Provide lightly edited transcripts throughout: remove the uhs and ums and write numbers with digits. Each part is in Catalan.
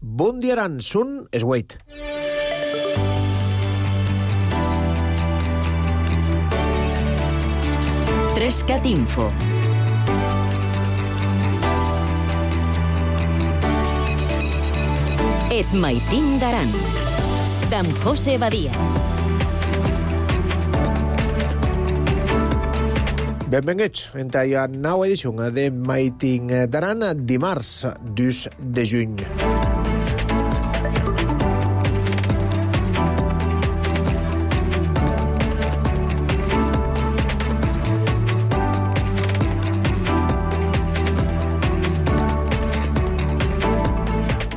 Bon dia, Aran, sun es 8. Trescat Info. Et maitin d'Aran. D'en José Badia. Benvinguts en la nova edició de Maitin d'Aran, dimarts 2 de juny.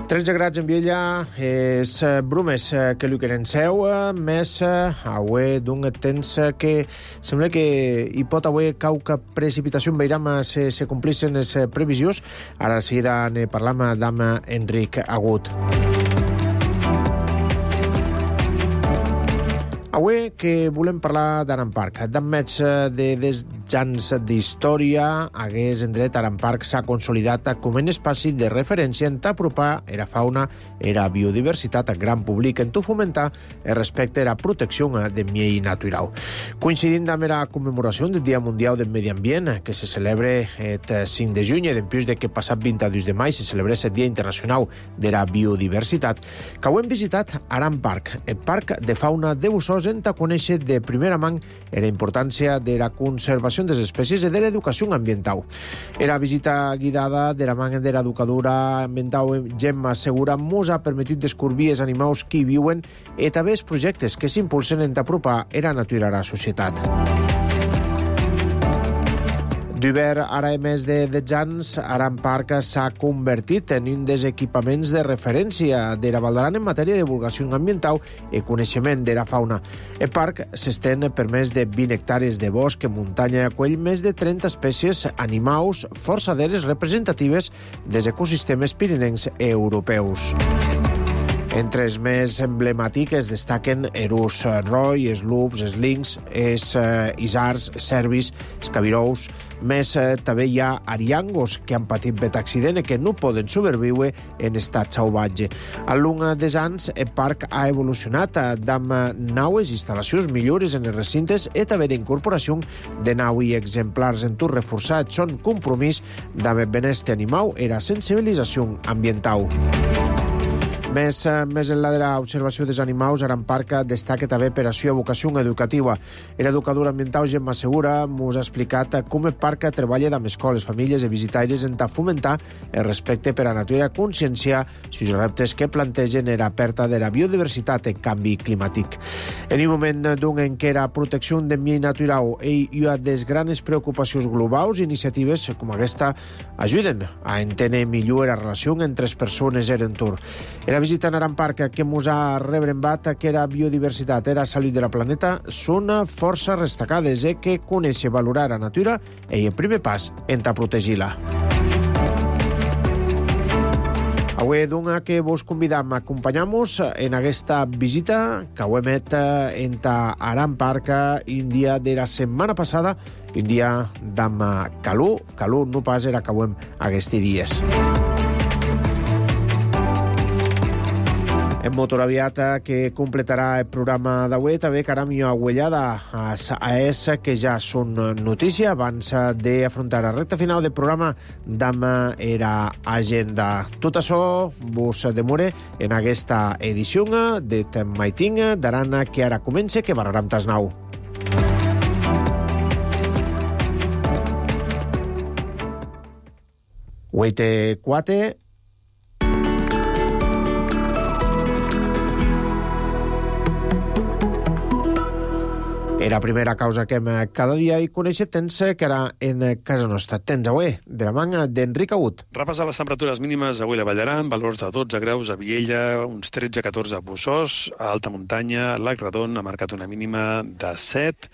Tretze grads en Viella, és brumes que li queren seu, més avui d'un temps que sembla que hi pot avui cauca precipitació en veiram se complixen les previsions. Ara de seguida ne parlam amb Enric Agut. Avui que volem parlar d'Aran Park. D'enmig de desjans d'història, hagués en dret Aran Park s'ha consolidat com un espai de referència en t'apropar era fauna, era biodiversitat al gran públic, en tu fomentar el respecte a la protecció de miei natural. Coincidint amb la commemoració del Dia Mundial del Medi Ambient, que se celebra el 5 de juny, dempués de que passat 22 de maig se celebrés el Dia Internacional de la Biodiversitat, que ho hem visitat Aran Park, el parc de fauna de Bussos, en conèixer de primera mà la importància de la conservació de les espècies i de l'educació ambiental. La visita guidada de la mà de l'educadora ambiental Gemma Segura mos ha permetit descobrir els animals que hi viuen i també els projectes que s'impulsen en apropar la natura a la societat. D'hivern, ara més de 10 anys, Aran Park s'ha convertit en un dels equipaments de referència de la Val d'Aran en matèria de divulgació ambiental i coneixement de la fauna. El parc s'estén per més de 20 hectàrees de bosc, muntanya i acull més de 30 espècies animals, força d'elles representatives dels ecosistemes pirinencs i europeus. Entre els més emblemàtics destaquen erus roi, els lups, els links, els isards, els cervis, els cabirous. Més també hi ha ariangos que han patit accident i que no poden sobreviure en estat salvatge. Al llarg dels anys, el parc ha evolucionat amb noves instal·lacions, millores en els recintes i també la incorporació de nous exemplars en tot reforçat son compromís amb el benestar animal i la sensibilització ambiental. Més enllà de l'observació dels animals, Aran Park destaca també per la seva vocació educativa. L'educadora ambiental Gemma Segura ens ha explicat com el parc treballa amb escoles, famílies i visitaires en fomentar el respecte per a la natura i conscienciar els reptes que plantegen la pèrdua de la biodiversitat i canvi climàtic. En un moment en què la protecció del medi natural i ha des grans preocupacions globals, iniciatives com aquesta ajuden a entendre millor la relació entre les persones i l'entorn. La visita a Aran Park que ens ha rebrembat que la biodiversitat i la salut de la planeta són força destacades i que conèixer i valorar la natura és el primer pas en protegir-la. Avui, doncs, que vos convidam a acompanyar-nos en aquesta visita que ho hem fet en Aran Park un dia de la setmana passada, un dia d'am calor no pas era que ho hem aquests dies. En motor aviat que completarà el programa d'avui, també caram i agüellada a AES, que ja són notícia abans d'afrontar la recta final del programa d'am era agenda. Tot això vos demore en aquesta edició de Maitin d'Aran que ara comença, que barraram tas nou. Huete 4. La primera causa que hem cada dia i conèixer tens que era en casa nostra. Tens avui, de la manga d'Enric Agut. Repàs de les temperatures mínimes avui a la Vall d'Aran, valors de 12 graus a Viella, uns 13-14 a Bussos, a alta muntanya, Lac Redon ha marcat una mínima de 7,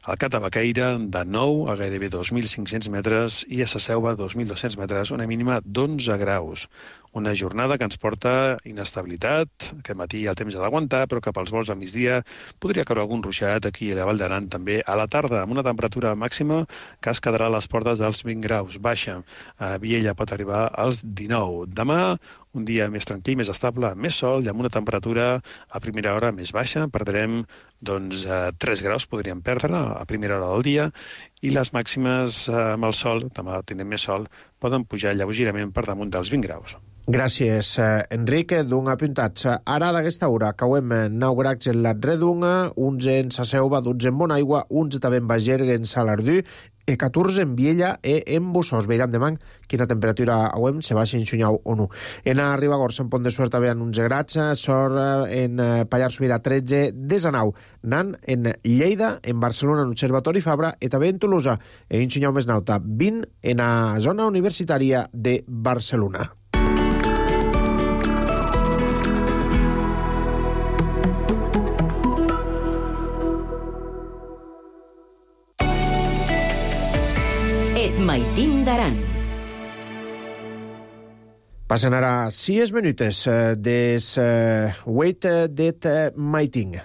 al Cat de Baqueira de 9 a gairebé 2.500 metres i a Sa Selva 2.200 metres, una mínima d'11 graus. Una jornada que ens porta inestabilitat. Aquest matí el temps ha d'aguantar, però cap als vols a migdia podria caure algun ruixat aquí a la Vall d'Aran també a la tarda, amb una temperatura màxima que es quedarà a les portes dels 20 graus. Baixa. A Viella pot arribar als 19. Demà, un dia més tranquil, més estable, amb més sol i amb una temperatura a primera hora més baixa. Perdrem 3 graus, podríem perdre a primera hora del dia, i les màximes amb el sol, demà tindrem més sol, poden pujar lleugerament per damunt dels 20 graus. Gràcies, Enric. D'un apuntatge. Ara d'aquesta hora cauem 9 graus en l'Atredunga, 11 en Saseuva, 12 en Bonaigua, 11 també en Bagergue, en Salardú, 14 en Viella e en Bussós. Veiram demà quina temperatura auem, se baixa en Xunyau o no. En Ribagorça, en Pont de Suert, també en 11 graus, Sort en Pallars Sobirà 13, Desanau, Nan en Lleida, en Barcelona, en Observatori Fabra, i també en Tolosa, en Xunyau més nauta, 20 en la zona universitària de Barcelona. Maitín d'Aran. Passen ara 6 minutes des Wait det Maitín.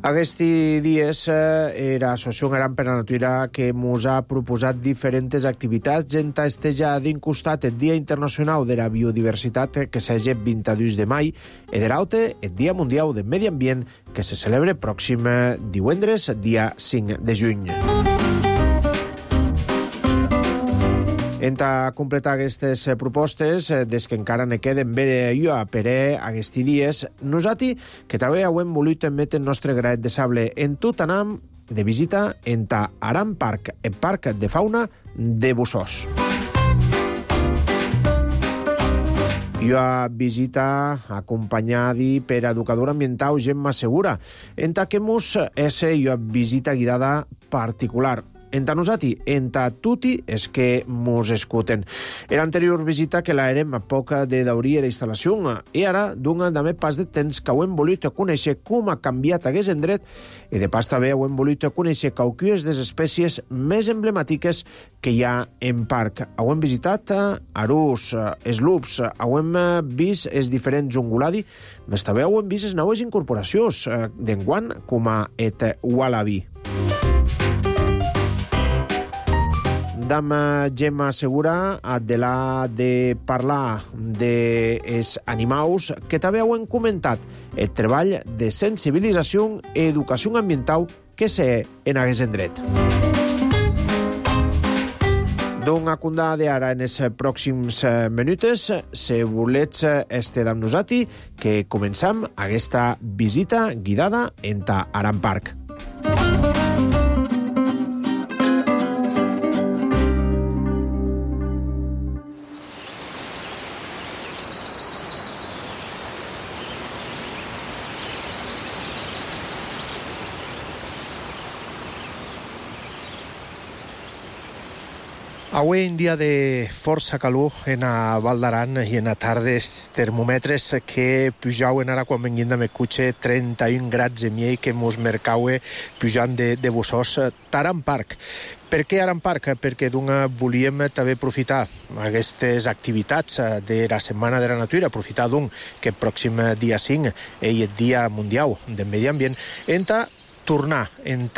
Aquests dies era Associació Aran per la Natura que ens ha proposat diferents activitats en estejar d'incostat el Dia Internacional de la Biodiversitat que s'hagi 22 de maig i de l'altre el Dia Mundial del Medi Ambient que se celebra pròxim divendres, dia 5 de juny. En completar aquestes propostes, des que encara ne queden bé jo per aquests dies, nosaltres, que també hem volut emetre el nostre graet de sable en tot anam de visita en Aran Park, el Parc de Fauna de Bussós. Jo a visita acompanyada per educadora ambiental Gemma Segura, en que mos és jo visita guiada particular. Enta nosati, enta tutti es que mos escuten. Era anterior visita que l'aérem a poca de daurir la instal·lació i ara d'un també pas de temps que ho hem volut conèixer com ha canviat aquest endret i de pas també ho hem volut conèixer qualques de les espècies més emblemàtiques que hi ha en parc. Ho hem visitat arús, eslups, ho hem vist els diferents unguladi, més també ho hem vist les noves incorporacions d'enguant com a et wallaby. Dama Gemma Segura de la de parlar dels animals que també heu comentat el treball de sensibilització i educació ambiental que sé en aquest endret. D'una cunda d'ara en els pròxims minuts, si volets estar amb nosaltres, que començam aquesta visita guidada en Aran Park. Avui un dia de força calor en a Val d'Aran i en a tardes termòmetres que pujaven ara quan venguin de Mecuche 31 graus i mig que mos mercaue pujant de Bussós Aran Park. Per què Aran Park? Perquè volíem també aprofitar aquestes activitats de la Setmana de la Natura, aprofitar que el pròxim dia 5 és el Dia Mundial del Medi Ambient, tornar en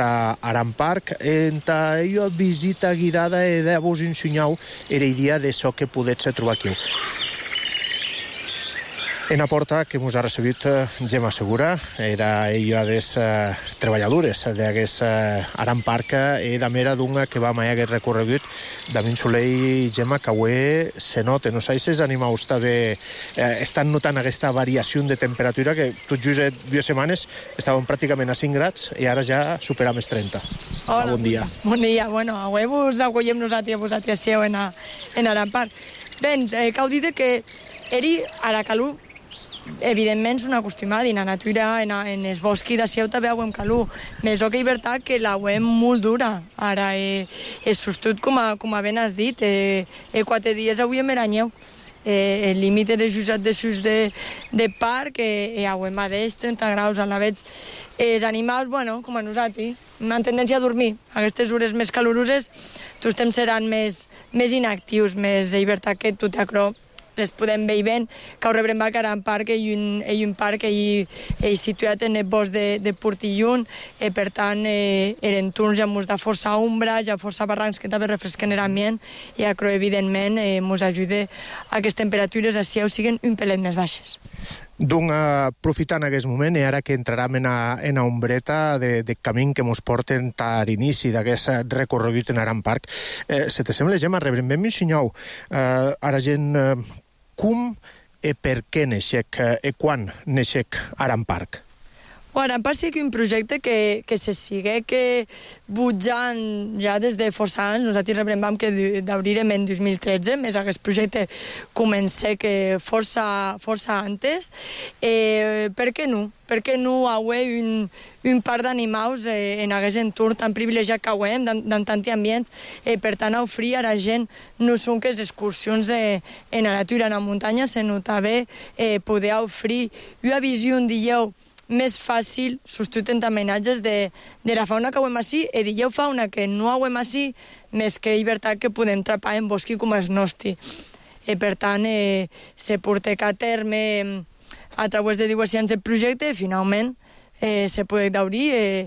Aran Park, en la visita guidada de vos ensenyau era idea de això que podets trobar aquí. En la porta que ens ha recebut Gemma Segura, era ella de les treballadores d'aquest Aran Park i de mera d'una que va mai aquest recorregut de min soleil, Gemma, que avui se nota. No sé si els animals també estan notant aquesta variació de temperatura que tot just 2 setmanes estàvem pràcticament a 5 graus i ara ja superam els 30. Hola, bon dia. Bon dia. Bueno, avui vos acollem nosaltres en Aran Park. Bé, cal dir que eri a la calor evidentment és una acostumada en la natura, en els boscs de Seu també hem calor, més que és veritat que la hem molt dura. Ara és sostut, com ben has dit, 4 dies avui em veranyeu. El límit de jusat de sus de parc hem a 30 graus a la vegada. Els animals, bueno, com a nosaltres, una tendència a dormir. Aquestes hores més caloroses, tots temps seran més inactius, més veritat que tu t'acrop les podem veure que ho rebrem a Aran Park, un parc situat en el bosc de Portillon, per tant, eren turns ja mos da força ombra, ja força barrancs que també refresquen l'ambient, i acro, evidentment, mos ajuda a que les temperatures a Sieu siguin un pelet més baixes. Donc, aprofitant aquest moment, i ara que entrarem en la ombreta de camí que mos porten a l'inici d'aquest recorregut en Aran Park, se te sembla, Gemma, rebrem ben m'ensenyeu ara gent com i per què neixec i quan neixec Aran Park? Aran Park sí que un projecte que se sigue que butjant ja des de força anys. Nosaltres rebrem que d'obrirem en 2013, més aquest projecte comença que força antes. Per què no? Per què no haver un parc d'animals en aquest entorn tan privilegiat que hem, en tants ambients, per tant, oferir a la gent no són que les excursions en la natura, en la muntanya, sinó també poder oferir una visió un dia més fàcil, substituint homenatges de la fauna que hem així, i dieu fauna que no hem així, més que llibertat que podem trapar en bosqui com el nostre. Per tant, se porta a terme a través de diversos anys el projecte, i finalment se pot obrir,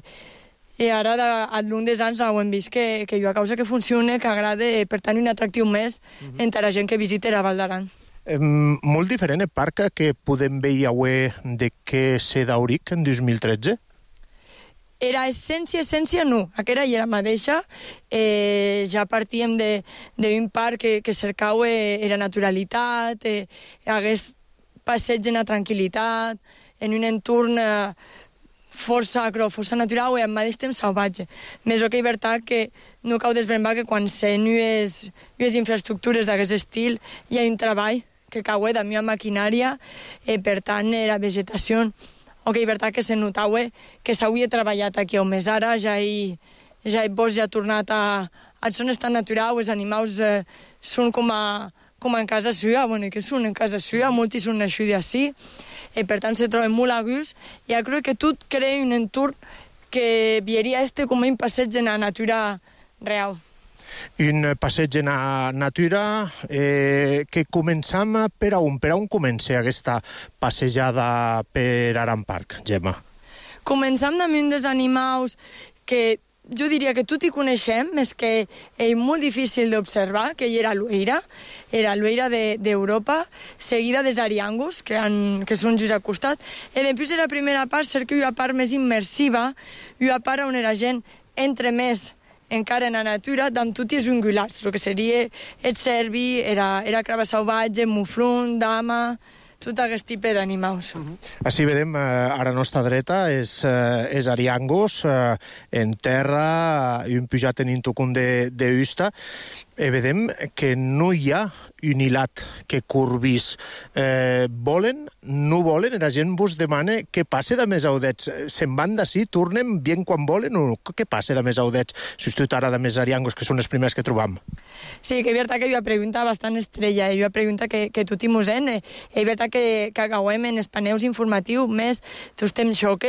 i ara al llarg dels anys hem vist que hi ha causa que funciona, que agrada, per tant, un atractiu més entre la gent que visita la Val d'Aran. Molt diferent el parc que podem veure avui de què se d'Auric en 2013? Era essència no. Aquesta era la mateixa. Ja partíem d'un parc que cercava la naturalitat, hagués passeig en la tranquil·litat, en un entorn força natural i al mateix temps salvatge. Més que és veritat que no cal desbrembar que quan sent unes infraestructures d'aquest estil hi ha un treball que cau de la maquinària, per tant, la vegetació, o que és veritat que se notava que s'havia treballat aquí, on més ara ja el bosc ja ha tornat a son estat natural, els animals són com en casa seva, bueno, que són en casa seva, molts són nascuts així, i per tant se troben molt a gust, i crec que tot crea un entorn que veuria com un passeig en la natura real. Un passeig en la natura que començam per on comença aquesta passejada per Aran Park, Gemma? Començam amb un dels animals que jo diria que tot hi coneixem, és que és molt difícil d'observar, que era l'oeira d'Europa, seguida dels ariangus, que són just al costat, i després de la primera part cerca una part més immersiva, una part on la gent entra més encara en la natura, amb tots els ungulats, el que seria el cervi, era crava salvatge, muflon, dama, tot aquest tipus d'animals. Així vedem, a la nostra dreta, és ariangus, en terra, i un pujat en un tocun d'usta, i vedem que no hi ha un hilat que corbís. Volen, no volen, la gent vos demana què passa de més audets. Se'n van d'ací, tornen bien quan volen, o què passa de més audets? Substitut ara de més ariangus, que són els primers que trobam. Sí, que és veritat que hi ha una pregunta bastant estrella, hi ha una pregunta que tot hi mos és veritat que acabem en els paneus informatius més, tu estem això que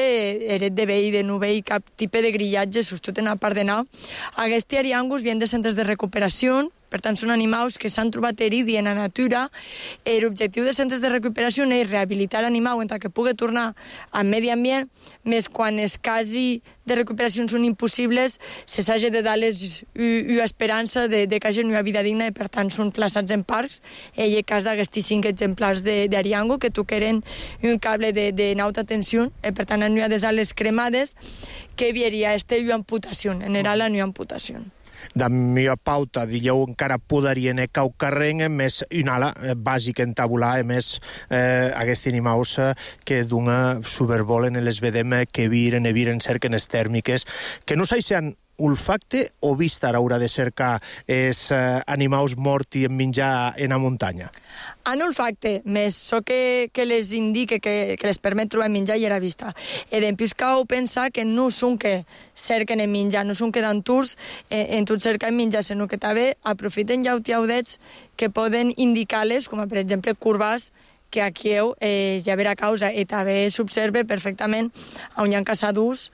eret de veir, de no veir cap tipus de grillatge, substitut en la part de nau. Aquests ariangus vienen de centres de recuperació, per tant, són animals que s'han trobat herits en la natura. L'objectiu dels centres de recuperació és rehabilitar l'animal entre que pugui tornar al medi ambient, més quan els casos de recuperació són impossibles, se s'hagi de dar l'esperança de que hagi una vida digna i, per tant, són plaçats en parcs. En el cas d'aquests 5 exemplars d'ariango que toqueren un cable de alta tensió, per tant, en una de les ales cremades, que hi hauria una amputació, en general una amputació. De meva pauta, dieu, encara podarien cau carreng, més una ala bàsica en tabular, més aquests animals que d'una supervolen les vedem que viren cerquen les tèrmiques, que no s'han olfacte o vista haurà de cercar els animals morts i en menjar en la muntanya? En olfacte, més so que les indique, que les permet trobar menjar i era vista. I després cal pensar que no són que cerquen en menjar, no són que dan tours en tot cercar en menjar, sinó que també aprofiten llautiaudets que poden indicar-les, com per exemple curvas, que aquí ja verà causa, i també s'observa perfectament on hi ha caçadors,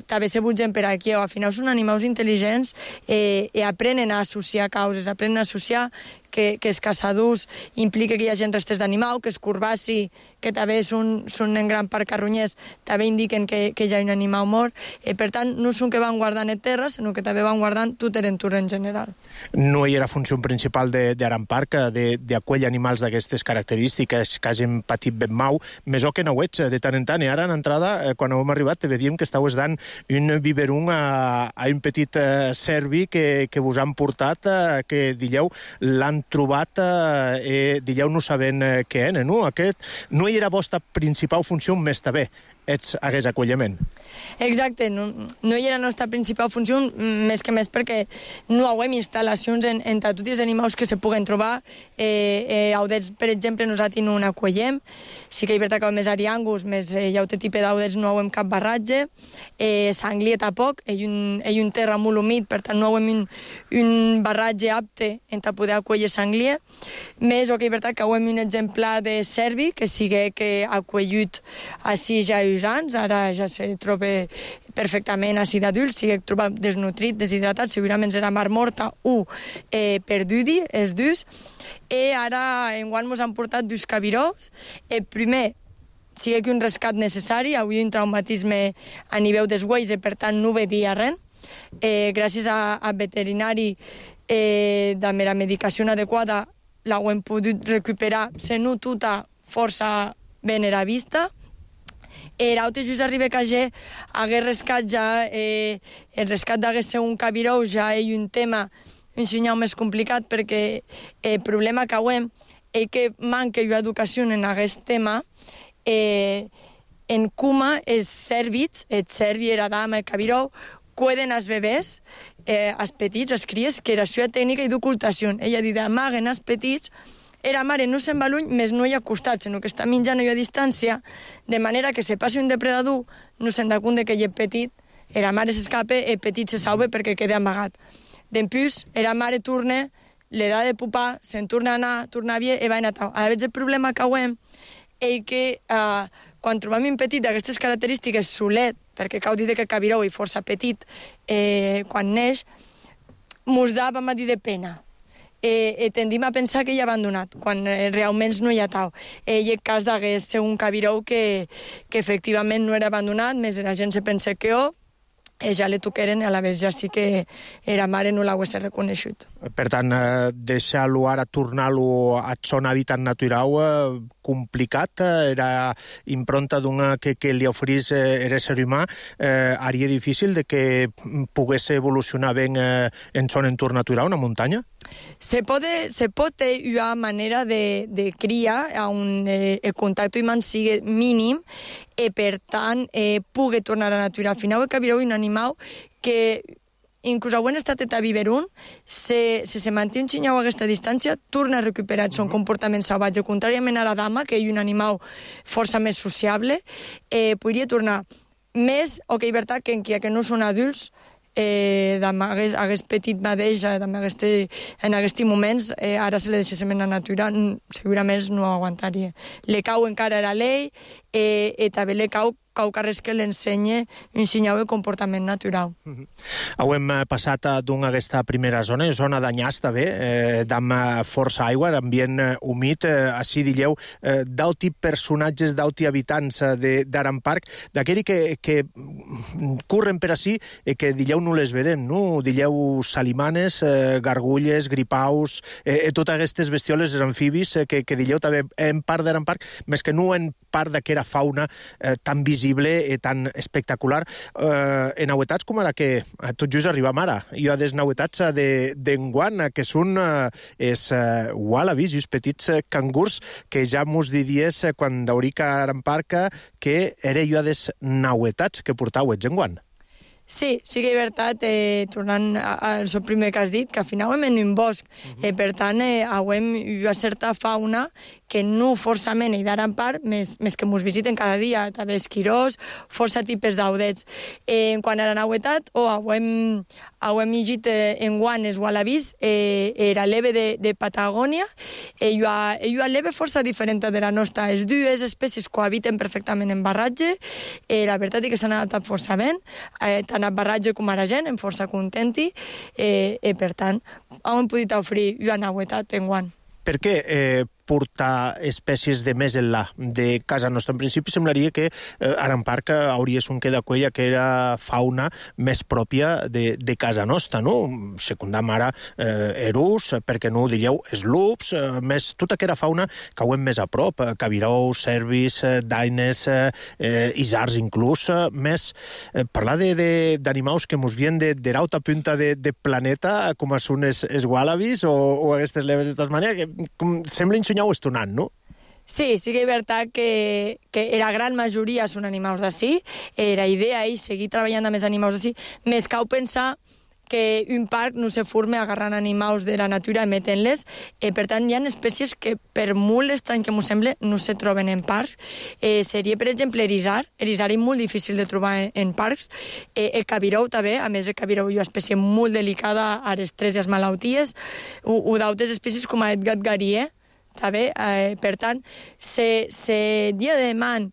també se butgen per aquí. Al final són animals intel·ligents i aprenen a associar causes, aprenen a associar que els caçadors implica que hi hagi restes d'animal, que els curbaci, que també són en gran part carronyers, també indiquen que hi ha un animal mort. Per tant, no són que van guardant en terra, sinó que també van guardant tot l'entorn en general. No hi era funció principal d'Aran Park, d'acollir animals d'aquestes característiques que hagin patit ben mau, més o que no ho ets de tant en tant. I ara, en entrada, quan hem arribat, te vedíem que estaues dant un biberon a un petit serbi que vos han portat, que, dieu, l'han trobat, dieu, no sabent què era, no? Aquest no hi era vostra principal funció, més també hagués acolliment. Exacte, no hi era la nostra principal funció, més que més perquè no hauem instal·lacions en tots els animals que se puguen trobar. Audets, per exemple, nosaltres no n'acollem. Sí que hi ha més ariangus, més hi ha altre tipus d'audets, no hauem cap barratge. Sanglia tampoc, hi ha un terra molt humit, per tant no hauem un barratge apte en poder acollir sanglia. Més, que hi ha que hauem un exemplar de cervi, que sigui que ha acollit així ja anys, ara ja se troba perfectament així d'adults, si es troba desnutrit, deshidratat, segurament era mar morta o perdudi, els dos. I ara enguany ens han portat dos cabirós. Primer, sigui que un rescat necessari, avui un traumatisme a nivell dels uells, per tant no veia res. Gràcies a veterinari de la medicació adequada l'hem pogut recuperar, se no tota força ben era vista. L'altre just arriba que hagués rescat ja, el rescat d'hagués ser un cabiró ja és un tema, un senyal més complicat, perquè el problema que hauem és que manca educació en aquest tema. En Kuma, els cèrvits, el cervi, la dama, el cabiró, cuiden els bebès, els petits, els cries, que era la seva tècnica d'ocultació. Ella dit, amaguen els petits. La mare no se'n va lluny, més no hi ha costat, sinó que està menjant a distància, de manera que se passi un depredador, no se'n da compte que hi és petit, la mare s'escapa, el petit se salva perquè queda amagat. Després, la mare torna, li da de pupar, se'n torna a anar, torna a i va anar a tau. A vegades el problema que hauem és que quan trobem un petit d'aquestes característiques solet, perquè cal dir que el cabiró és força petit quan neix, mos da, vam dir, de pena. Tendim a pensar que hi ha abandonat, quan realment no hi ha tau. I el cas d'hagués ser un cabiró que efectivament no era abandonat, més la gent se pensa que ja le toqueren, a la vegada ja sí que la mare no l'hagués reconegut. Per tant, deixar-lo ara, tornar-lo a son hàbitat natural, complicat, era impronta que li oferís l'ésser humà, haria difícil de que pogués evolucionar ben en son entorn natural, una muntanya? Se pot una manera de criar on el contacte humà sigui mínim i, per tant, pugui tornar a la natura. Al final, el cabiró és un animal que, inclús quan ha estat a biberon, se manté un xinyau a aquesta distància, torna a recuperar el seu comportament salvatge. Contràriament a la dama, que és un animal força més sociable, podria tornar més, o que hi veritat que en no són adults, hagués petit mateix, en aquests moments, ara se li deixéssim en la natura, segurament no aguantaria. Le cau encara era l'ell, i també le cau res que l'ensenya un senyal de comportament natural. Hem passat d'aquesta primera zona d'Anyàs, també, d'amb força aigua, ambient humit, així dieu, d'auti personatges, d'auti habitants d'Aran Park, d'aquells que corren per així i que dieu no les vedem, no? Dieu salimanes, gargulles, gripaus, totes aquestes bestioles, els amfibis, que dieu també en part d'Aran Park, més que no en part d'aquesta fauna tan visible i tan espectacular. En auetats com ara que tot just arribam ara. Hi ha des nauetats d'enguant, que són els wallabies, els petits cangurs, que ja mos diries quan d'aurica Aran Park que era jo des nauetats que portauets enguant. Sí, sí que és veritat, tornant al primer que has dit, que al final hem en un bosc, per tant, hauem una certa fauna que no forçament hi daran part, més que mos visiten cada dia, també esquirós, força tipus d'audets. En quant a la nauetat, ho hem llegit en guant els wallabies, era l'eve de Patagònia, hi ha l'eve força diferent de la nostra. Les dues espècies cohabiten perfectament en barratge, la veritat és que s'han adaptat força bé, tant a barratge com a la gent, em força contenti, per tant, hem pogut oferir una nauetat en guant. Per què portar espècies de més enllà de casa nostra? En principi semblaria que Aran Park hauria un que d'aquella que era fauna més pròpia de casa nostra, no? Secundam ara erus, perquè no ho diríeu, eslups, més tota aquella fauna que ho hem més a prop, cabirous, cervis, daines, isards inclús, més parlar d'animals que mos vien de l'alta punta de planeta, com són els wallabies o aquestes leves de Tasmània, que sembla ensenyar-ho estonant, no? Sí, sí que és veritat que la gran majoria són animals d'ací. La idea és seguir treballant amb els animals d'ací. Més cal pensar que un parc no se forma agarrant animals de la natura i metent-les. Per tant, hi ha espècies que, per molt estrany que m'ho sembla, no se troben en parcs. Seria, per exemple, erisar. Erisar és molt difícil de trobar en parcs. El cabirou també, a més el cabirou és una espècie molt delicada a les tres i les malalties. O d'altres espècies com el gat garier, també. Per tant, se dia de man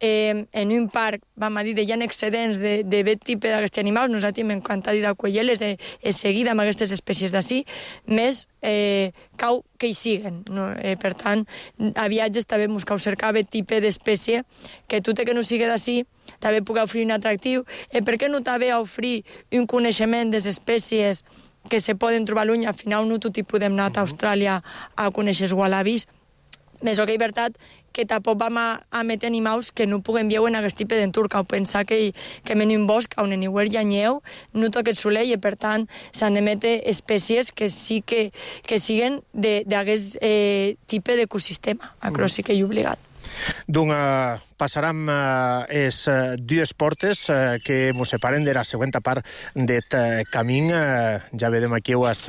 en un parc, vam a dir, hi ha excedents de bet tipus d'aquests animals, nosaltres hem encantat d'acollir-les seguida amb aquestes espècies d'ací, més cau que hi siguen. No? Per tant, a viatges també ens cau cercar bet tipus d'espècie que tot i que no sigui d'ací, també puc oferir un atractiu. Per què no també oferir un coneixement de les espècies que se poden trobar lluny? Al final no tot hi podem anar a Austràlia a conèixer els wallabies. Més o que és veritat que tampoc vam a metre animals que no puguem veure en aquest tipus d'entorn, cal pensar que en un bosc on en hi ha neu, no toca el soleil, i per tant s'han de metre espècies que sí que siguen d'aquest tipus d'ecosistema. Això sí que hi ha obligat. Doncs passarem les dues portes que ens separen de la següent part d'aquest camí. Ja vedem aquí els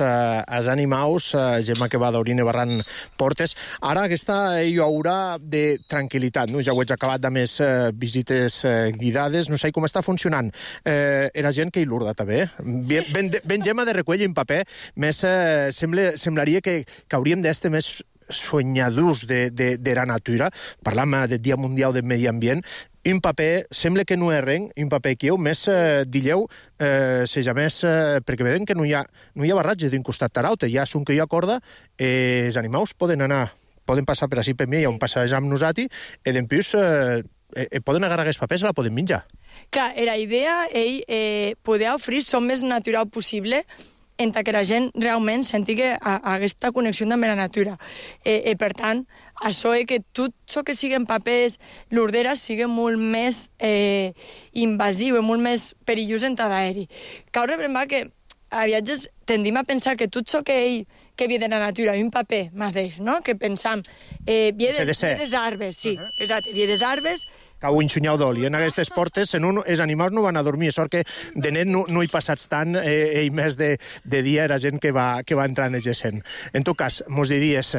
animals, Gemma que va d'Orine barrant portes. Ara aquesta hi haurà de tranquil·litat, no? Ja ho he acabat amb les visites guidades, no sé com està funcionant. Era gent que hi l'urda també. Ben Gemma de recull en paper, més semblaria que hauríem d'estar més soñadors de la natura. Parlam del Dia Mundial del Medi Ambient. Un paper, sembla que no és res, un paper que més dilleu, seja més, perquè vedem que no hi ha barratge d'un costat a l'altre, ja són que hi ha corda, els animals poden passar per així per mi, on passejar amb nosaltres, i després poden agarrar aquests papers i la poden menjar. Clar, la idea és poder oferir el més natural possible, entre que la gent realment senti aquesta connexió amb la natura. Per tant, això és que tot això que siguin papers, l'ordera sigui molt més invasiu i molt més perillós en l'aeri. Cal reprenar que a viatges tendim a pensar que tot això que ve de la natura, un paper mateix, no? Que pensam, ve des arbres, sí, exacte, ve des arbres. Cau un xunyau d'oli. En aquestes portes, els animals no van a dormir, sort que de net no hi passats tant, i més de dia era gent que va entrant i gent. En tot cas, mos diries,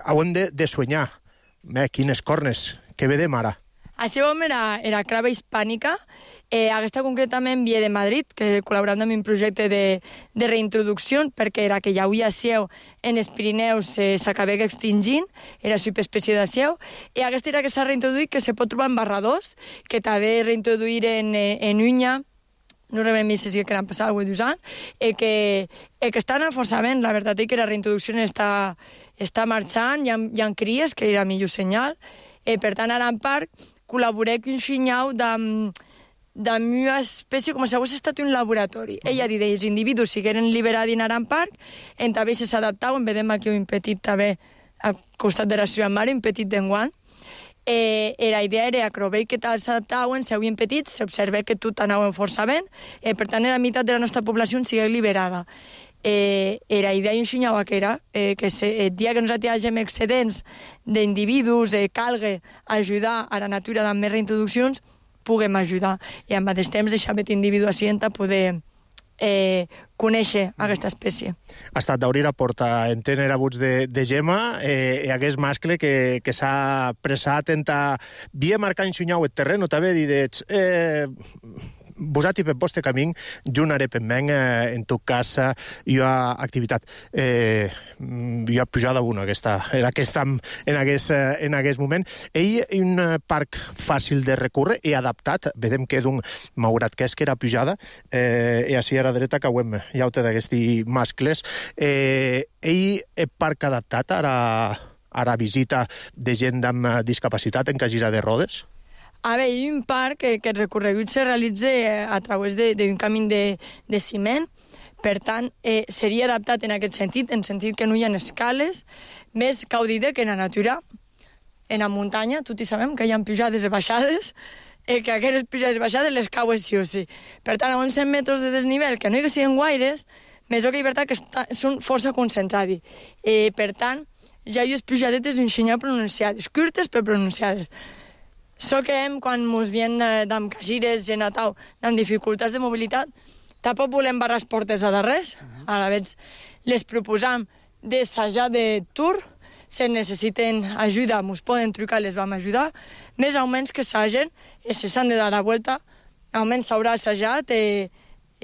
hauem de soñar. Quines cornes, què vedem ara? Això era crava hispànica. Aquesta concretament ve de Madrid, que col·laborant amb un projecte de reintroducció, perquè era que ja havia seu en els Pirineus s'acabava extingint, era subespècie de seu, i aquesta era que s'ha reintroduït, que se pot trobar en barradors, que també reintroduir en Unya, no rebem més si que l'han passat avui 2 anys, que estan força bé. La veritat és que la reintroducció està marxant, hi ha cries, que era millor senyal. Per tant, ara en Parc col·laborem un xinyau d'una espècie com si hagués estat un laboratori. Ella ha dit que els individus sigueren liberats en Aran Park, en també s'adaptaven, vedem aquí un petit també al costat de la ciutat mare, un petit d'enguant. La idea era que veig que tal s'adaptaven, s'havien petits, s'observa que tot anaven força bé, per tant la meitat de la nostra població sigui liberada. La idea ensenyava que era que el dia que nosaltres hagin excedents d'individus, calga ajudar a la natura amb més reintroduccions, puguem ajudar. I al mateix temps deixar aquest individu així a poder conèixer aquesta espècie. Ha estat d'obrir la porta en tener abuts de Gemma i aquest mascle que s'ha pressat en via marcar enxunyau el terreno, també dit vosati per vostre camí, junaré per men, en tot cas, hi ha activitat. Hi ha pujada una, en aquest moment. Ell és un parc fàcil de recórrer i adaptat. Vedem que malgrat que és que era pujada, i així a la dreta que hi ha d'aquests mascles. Ell és parc adaptat a la visita de gent amb discapacitat en cadira de rodes? A veure, hi ha un parc que el recorregut se realitza a través d'un camí de ciment, per tant, seria adaptat en aquest sentit, en sentit que no hi ha escales, més caudida que en la natura, en la muntanya, tots hi sabem que hi ha pujades i baixades, que aquestes pujades i baixades les cauen sí o sí. Per tant, a uns 100 metres de desnivell, que no hi siguin guaires, més o que hi veritat que són força concentrades. Per tant, ja hi ha pujadetes d'un xinyà pronunciades, curtes però pronunciades. So que quan ens vien amb cagires, gent a tau, amb dificultats de mobilitat, tampoc volem barrar les portes a la res. A la vegada les proposam d'assajar de tour, si necessiten ajuda, ens poden trucar, les vam ajudar. Més o menys que assagen, si s'han de dar la volta, almenys s'haurà assajat i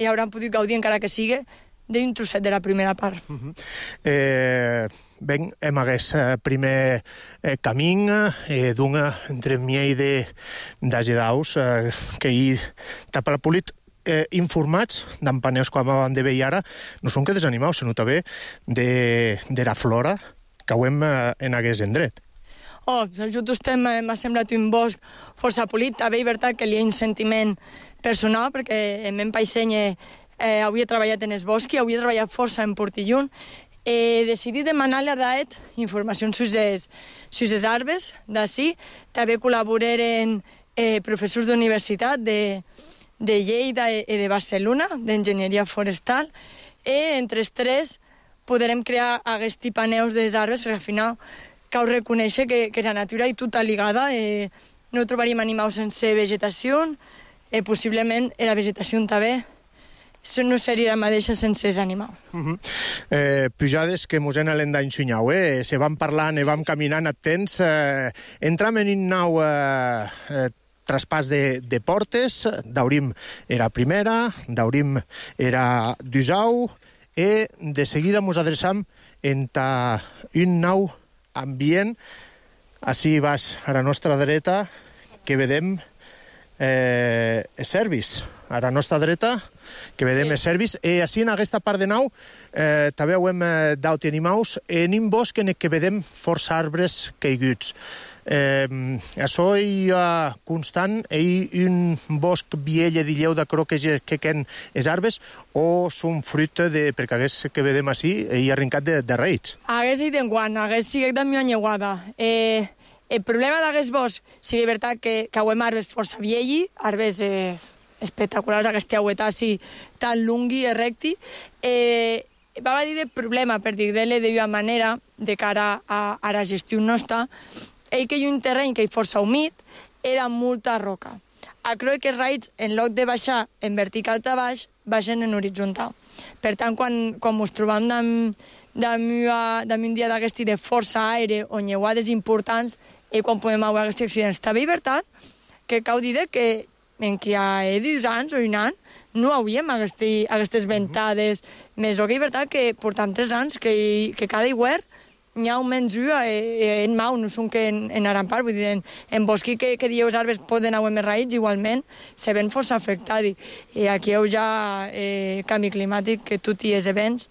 hauran pogut gaudir, encara que sigui, d'un trosset de la primera part. Ben, hem aquest primer camí entre miei d'agedaus que hi tapa la polit informats d'empaners com vam de veure ara, no són que desanimaus, sinó també de la flora que ho hem en aquest endret. Just m'ha semblat un bosc força polit, també és veritat que hi ha un sentiment personal, perquè en meu paiseny havia treballat en el bosc i havia treballat força en Portillon. Decidí demanar-li a Daet informacions sobre les arbres d'ací. També col·laboraren professors d'universitat de Lleida i de Barcelona, d'enginyeria forestal, i entre els tres podrem crear aquests paneus de les arbres, perquè al final cal reconèixer que la natura és tota ligada, no trobaríem animals sense vegetació, possiblement la vegetació també no seria la mateixa sense els animals. Pujades que mos en l'hem d'enxunyau, se van parlant i vam caminant atents. Entram en un nou traspàs de portes. Daurim era primera, Daurim era d'Usau, i de seguida mos adreçam en un nou ambient. Així vas a la nostra dreta, que vedem servis. A la nostra dreta, que vedem els servis. Així, en aquesta part de nau, també ho hem d'aut animaus, en un bosc en què vedem força arbres caiguts. Això hi ha constant, hi un bosc viell de lleu de croques que quen els arbres, o són fruit perquè hagués que vedem així, hi ha arrencat de reis? Hagués hi d'enguant, hagués sigut de mi anyeuada. El problema d'aquest bosc, sí, és veritat que hem arbres força vielli, arbres espectaculars, aquesta aueta així tan lungui i recti. Va dir de problema, per dir-li d'una manera, de cara a la gestió nostra, que hi ha un terreny que és força humit i de molta roca. A creu que els raids, en lloc de baixar en vertical a baix, baixen en horitzontal. Per tant, quan ens trobam d'un dia d'aquest de força aire o nyeuades importants, i quan podem veure aquests accidents. També és veritat que cal dir que en que hi ha 2 anys o un any no hauríem aquestes ventades més. O que és veritat que portam 3 anys que cada hivern n'hi ha almenys en mau, no són que en Arampar, vull dir, en bosqui que dieu els arbres poden anar més raïts, igualment se ven força afectats. I aquí hi ha canvi climàtic, que tots els events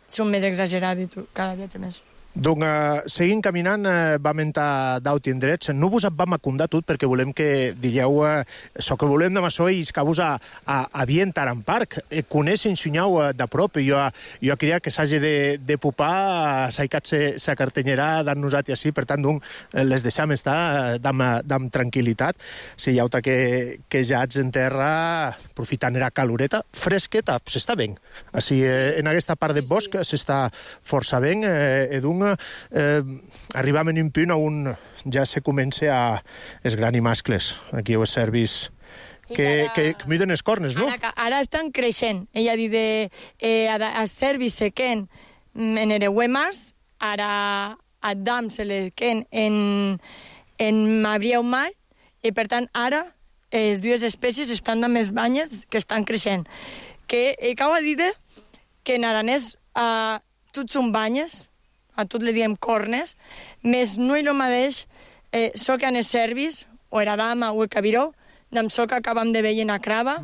són més exagerats i cada viatge més. Donc, seguint caminant, vam entrar d'aut indrets. No vos vam acundar tot perquè volem que digueu això que volem de maçó i que vos a bien Taran Park. Coneix enxunyau de prop. Jo creia que s'hagi de pupar, s'haicat sa cartanyera d'en nosaltres així, per tant, les deixam estar amb tranquil·litat. Si hi ha que ja ets en terra, aprofitant la caloreta, fresqueta, s'està ben. Així, en aquesta part del bosc s'està força ben, arribam en un punt on ja se comença a esgranir mascles. Aquí els servis que miden les cornes, no? Ara estan creixent. Ella ha dit a servi se quen en ereuemars, ara a dam se le quen en mabrieu mai, i per tant ara les dues espècies estan de més banyes que estan creixent. Que cau a dir que en aranès tots són banyes, a tot li diem cornes, més no hi lo mateix soca en els servis, o era dama o el cabiró, d'am soca acabam de veure en a crava,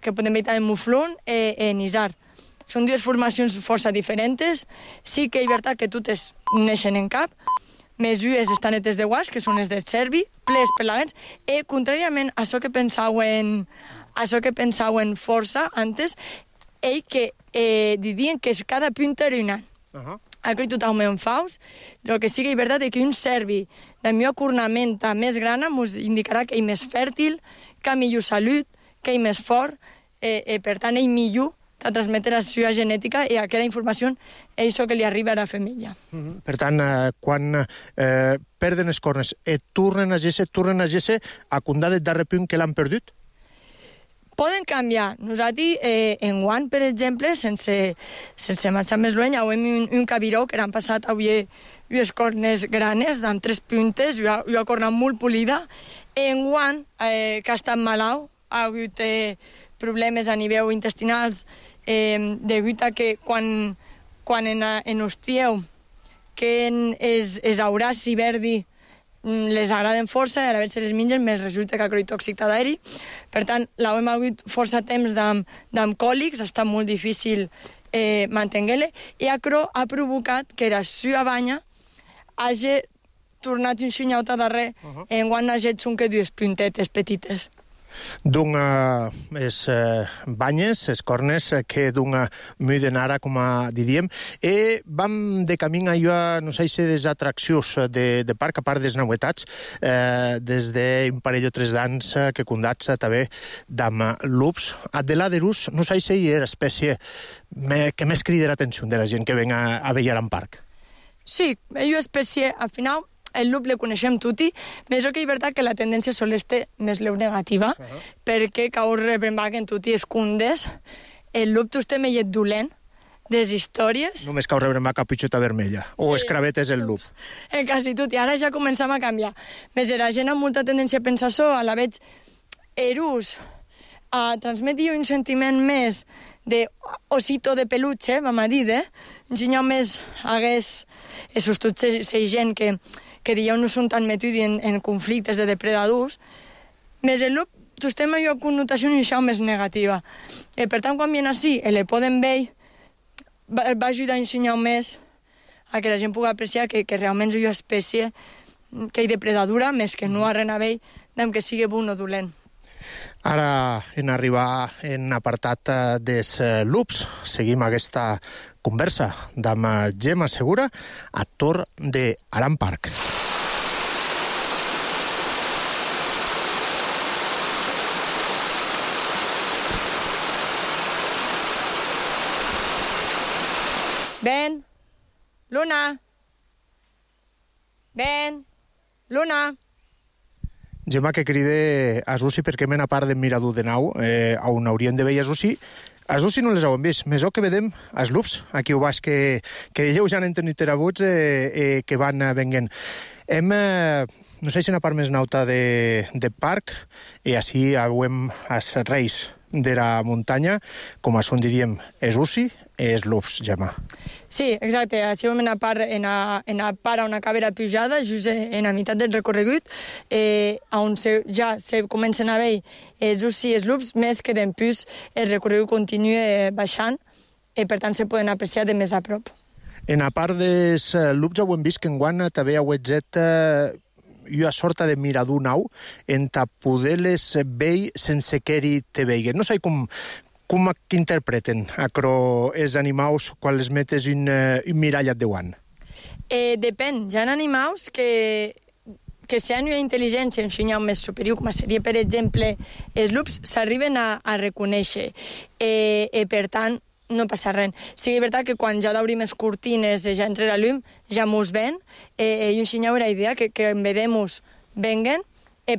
que podem veure en muflun en isar. Són dues formacions força diferents. Sí que és veritat que totes neixen en cap, més ues estan netes de guas, que són les del servi, ples pelagants, i contràriament a això que pensaven força antes, ell que didien que cada punta era un any. Aquí tothom en faus, el que sí que és veritat és que un servi de millor cornamenta més grana ens indicarà que és més fèrtil, que ha millor salut, que és més fort, per tant és millor a transmetre la seva genètica i aquella informació és això que li arriba a la femella. Per tant, quan perden les cornes tornen a géixer a condar del darrer punt que l'han perdut? Poden canviar. Nosaltres, en guant, per exemple, sense marxar més lluny, hem un cabiró que han passat avui unes cornes granes, amb 3 puntes, i una corna molt polida. En guant, que ha estat malalt, ha hagut problemes a nivell intestinals, degut a que quan en hostieu que els auraci verdi les agraden força i a veure si les mengen més resulta que ha tòxic d'aeri. Per tant, l'hem hagut força temps d'amb còlics, ha estat molt difícil mantenir-la, i ha provocat que la seva banya hagi tornat un xinyaut a darrer, en quan hagi són que dues puntetes petites. D'un les banyes, les cornes, que d'un muden ara, com diríem, i vam de camí a no sé si des atraccions de parc, a part des novetats, des d'un parell o 3 d'anys que condats també d'amb lups. Adela de Rus, no sé si és l'espècie que més crida l'atenció de la gent que ven a veure en parc. Sí, és una espècie, al final, el lup le coneixem tutti, més que és veritat que la tendència sol estar més leu negativa, perquè cau rebrembar que en tutti es cundes, el lup tu estem mellet dolent, des històries... Només cau rebrembar capitxota vermella, o escravetes el lup. En quasi tot, i ara ja començam a canviar. Més la gent amb molta tendència a pensar això, a la veig erús, a transmetre un sentiment més d'osito de peluche, vam a dir, un senyor més hagués... Esos tots la gent que dieu no són tan metuts en conflictes de depredadors, més el lup, tu estem amb una connotació més negativa. Per tant, quan viene així, le poden veure, va ajudar a ensenyar més a que la gent pugui apreciar que realment és una espècie que és depredadora, més que no ha res a veure amb que sigui bon o dolent. Ara, en arribar en apartat dels lups, seguim aquesta conversa amb Gemma Segura, actor de Aran Park. Ven, Luna. Ven, Luna. Gemma, que cride a Susi perquè men a part de mirador de nau, on haurien de veure a Susi. A Susi no les heu vist, més o que vedem els lups, aquí ho baix, que ells ja han tenit terabuts que van venguent. Hem, no sé si una part més nauta de parc, i així veiem els reis de la muntanya, com a són diríem, és Susi, és lups, Gemma. Sí, exacte. Així vam anar a part a una càmera pujada, just en la meitat del recorregut, on ja se comencen a veure els Susi i els lups, més que d'empús el recorregut continua baixant, i per tant se poden apreciar de més a prop. En a part dels lups, ho hem vist que enguany també heu exet una sorta de mirador nau en poder-les veure sense que te veiguen. No sé com interpreten els animals quan les metes un mirallat de guant? Depèn. Hi ha animals que si hi ha una intel·ligència, un senyal més superior, com seria, per exemple, els lups, s'arriben a reconèixer. Per tant, no passa res. Sí que és veritat que quan ja d'obrim les cortines, ja entre la llum, ja mos ven, i un senyal era idea que en vedem venguen,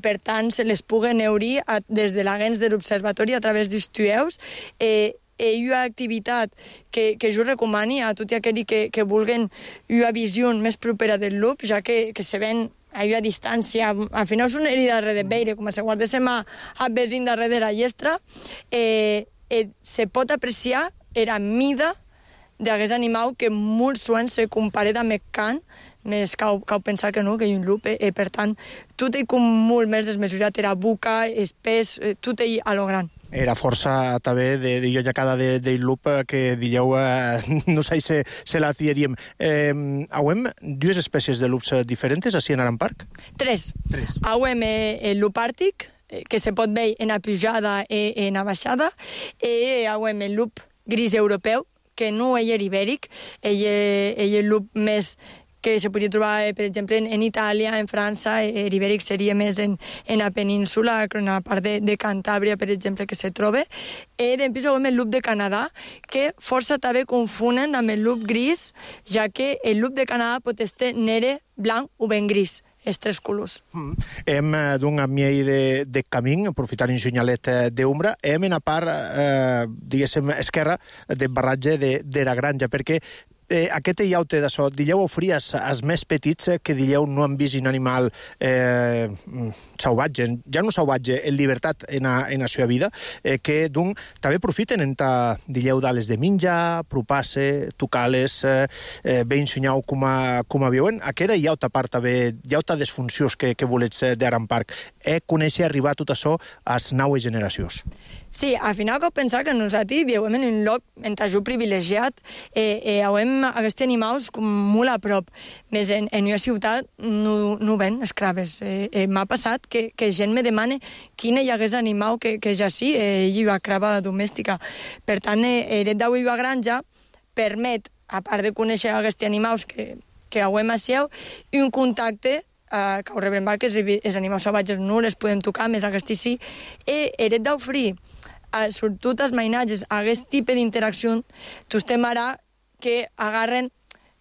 per tant se les puguen eurir des de l'agents de l'observatori a través dels tueus. Una activitat que jo recomani a tots aquells que vulguen una visió més propera del lup, ja que se ven a una distància, al final és una herida darrere de veire, com si guardéssim a vesin darrere de la llestra, se pot apreciar la mida d'aquest animal que molt sovint se compara amb el can, més cau pensar que no, que hi ha un lup, per tant, tot ell com molt més desmesurat, era boca, espès, tot ell a lo gran. Era força també de llonyacada del lup que dieu no sé si se la tieríem. Hauem dues espècies de lups diferents així en Aran Park? Tres. Hauem el lup àrtic, que se pot veure en la pujada i en la baixada, i hauem el lup gris europeu, que no és ibèric, ell és el lup més que se podria trobar, per exemple, en Itàlia, en França. L'ibèric seria més en la península, en la part de Cantàbria, per exemple, que se troba. I després veiem el lup de Canadà, que força també confonen amb el lup gris, ja que el lup de Canadà pot estar negre, blanc o ben gris. Els tres colors. Hem d'un amiell de camí, aprofitant un senyalet d'ombra, hem en la part, diguéssim, esquerra del barratge de la granja, perquè aquest iaute d'això, dilleu ofries als més petits que dilleu no han vist un animal salvatge, ja no salvatge, en llibertat en la seva vida, que d'un també profiten en dilleu d'ales de menjar, propasse, tocar-les, bé ensenyau com a viuen. Aquesta iauta part també, iauta des funcions que volets d'Aran Park, conèixer arribar tot això a les noves generacions. Sí, al final cal pensar que nosaltres vivim en un lloc en tajú privilegiat i veiem aquests animals com molt a prop. Més en una ciutat no ven escraves. M'ha passat que gent me demana quin hi hagués animal que ja sí, hi ha crava domèstica. Per tant, el d'avui a granja permet, a part de conèixer aquests animals que veiem a seu, un contacte que ho rebrem que els animals salvatges no les podem tocar, més aquests sí, i el d'oferir sobretot els mainatges, aquest tipus d'interacció, tu estem ara que agarren,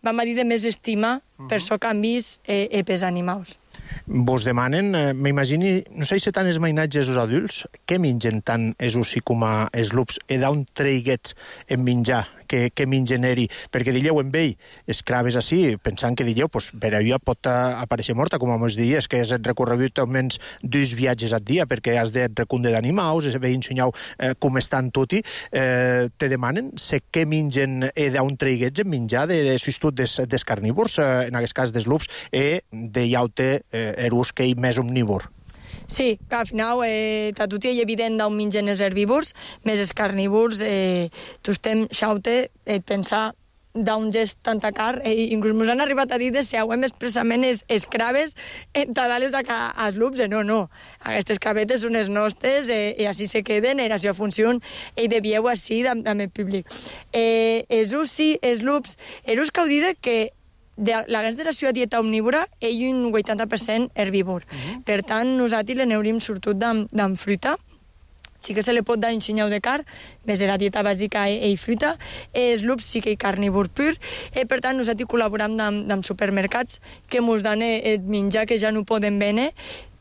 vam a dir, de més estima per això que han vist pels animals. Vos demanen, m'imagini, no sé si tant els mainatges els adults, què mengen tant els ossi com els lups, i d'on treiguets en menjar, que mengen eri, perquè dilleu en ell, escraves així, pensant que dilleu, per allò pot aparèixer morta, com mos dies, que és el recorregut almenys 2 viatges al dia, perquè has de recundre d'animals, és bé ensenyau com estan tot te demanen què mengen i d'on treiguets en menjar de substitut dels carnívors, en aquest cas dels lups, i de iaute erús que hi més omnívor. Sí, al final tot és evident d'on mengen els herbívors, més els carnívors, tu estem xaute et pensar d'on és tanta carn, inclús ens han arribat a dir de si hauem expressament els craves entadales als lups, no. Aquestes cravetes són les nostres i així se queden, i la seva funció i devíeu així amb el públic. Els ussi, els lups, els que heu dit que l'agents de la seva dieta omnívora és un 80% herbívor. Per tant, nosaltres l'aneurim sobretot d'amb fruita. Sí que se li pot dar un xinyau de carn, més de la dieta bàsica i fruita. Els lups sí que hi carnívor pur. Per tant, nosaltres col·laborem amb supermercats que ens donen el menjar que ja no poden vendre.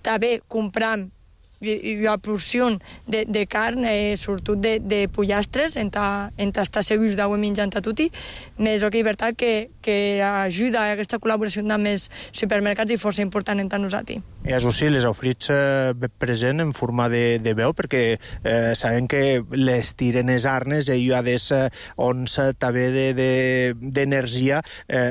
També compram una porció de carn, sobretot de pollastres, en estar segurs d'haver menjant a tutti, més que és veritat que ajuda a aquesta col·laboració amb els supermercats i força important entre nosaltres. I això sí, les oferits present en forma de veu, perquè sabem que les tiren les arnes i hi ha des ons també d'energia,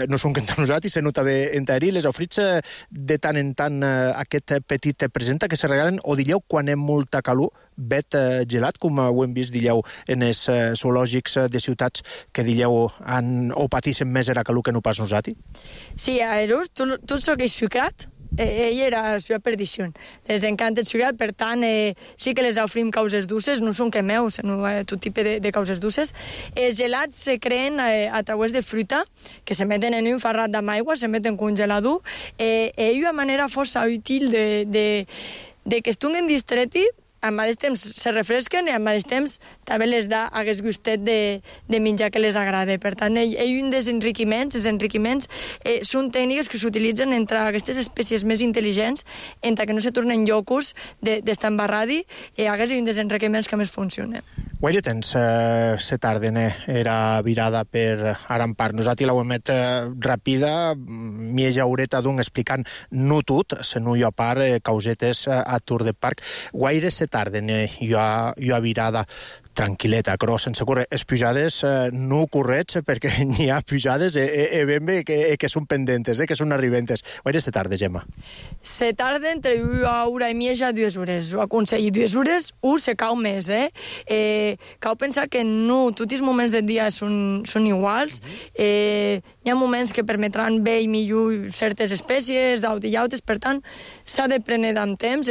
no són que entre nosaltres, sinó també entre ells. Les oferits de tant en tant aquest petit presenta que se regalen, o dilleu quan hi ha molta calor, vet gelat, com ho hem vist, dilleu, en els zoològics de ciutats que dilleu o pateixen més la calor que no pas nosaltres? Sí, a ells, tot el que és sucrat, ell era la seva perdició. Les encanta el sucrat, per tant, sí que les oferim causes dolces, no són que meus, sinó tot tipus de causes dolces. Els gelats se creen a través de fruita, que se meten en un farrat amb aigua, se meten congelador, i una manera força útil de que estiguin distreti al mateix temps se refresquen i al mateix temps també les da aquest gustet de menjar que les agrada. Per tant, un dels enriquiments, els enriquiments són tècniques que s'utilitzen entre aquestes espècies més intel·ligents, entre que no se tornen llocos d'estar embarradi, i aquest és un dels enriquiments que més funciona. Guaire temps se tarden era virada per Arampar. Nosaltres l'ho emet ràpida, mieja horeta d'un explicant no tot, se no hi ha part causetes a Tour de Parc. Guaire se tarden hi ha virada tranquil·leta, però sense córrer. Les pujades no correts, perquè n'hi ha pujades ben bé que són pendentes, que són arribentes. Guaire se tarda, Gemma? Se tarda entre una hora i mitja a 2 hores. Ho aconselli 2 hores, se cau més, Cal pensar que no tots els moments del dia són iguals. Hi ha moments que permetran bé i millor certes espècies, d'aut i llautes, per tant, s'ha de prendre amb temps,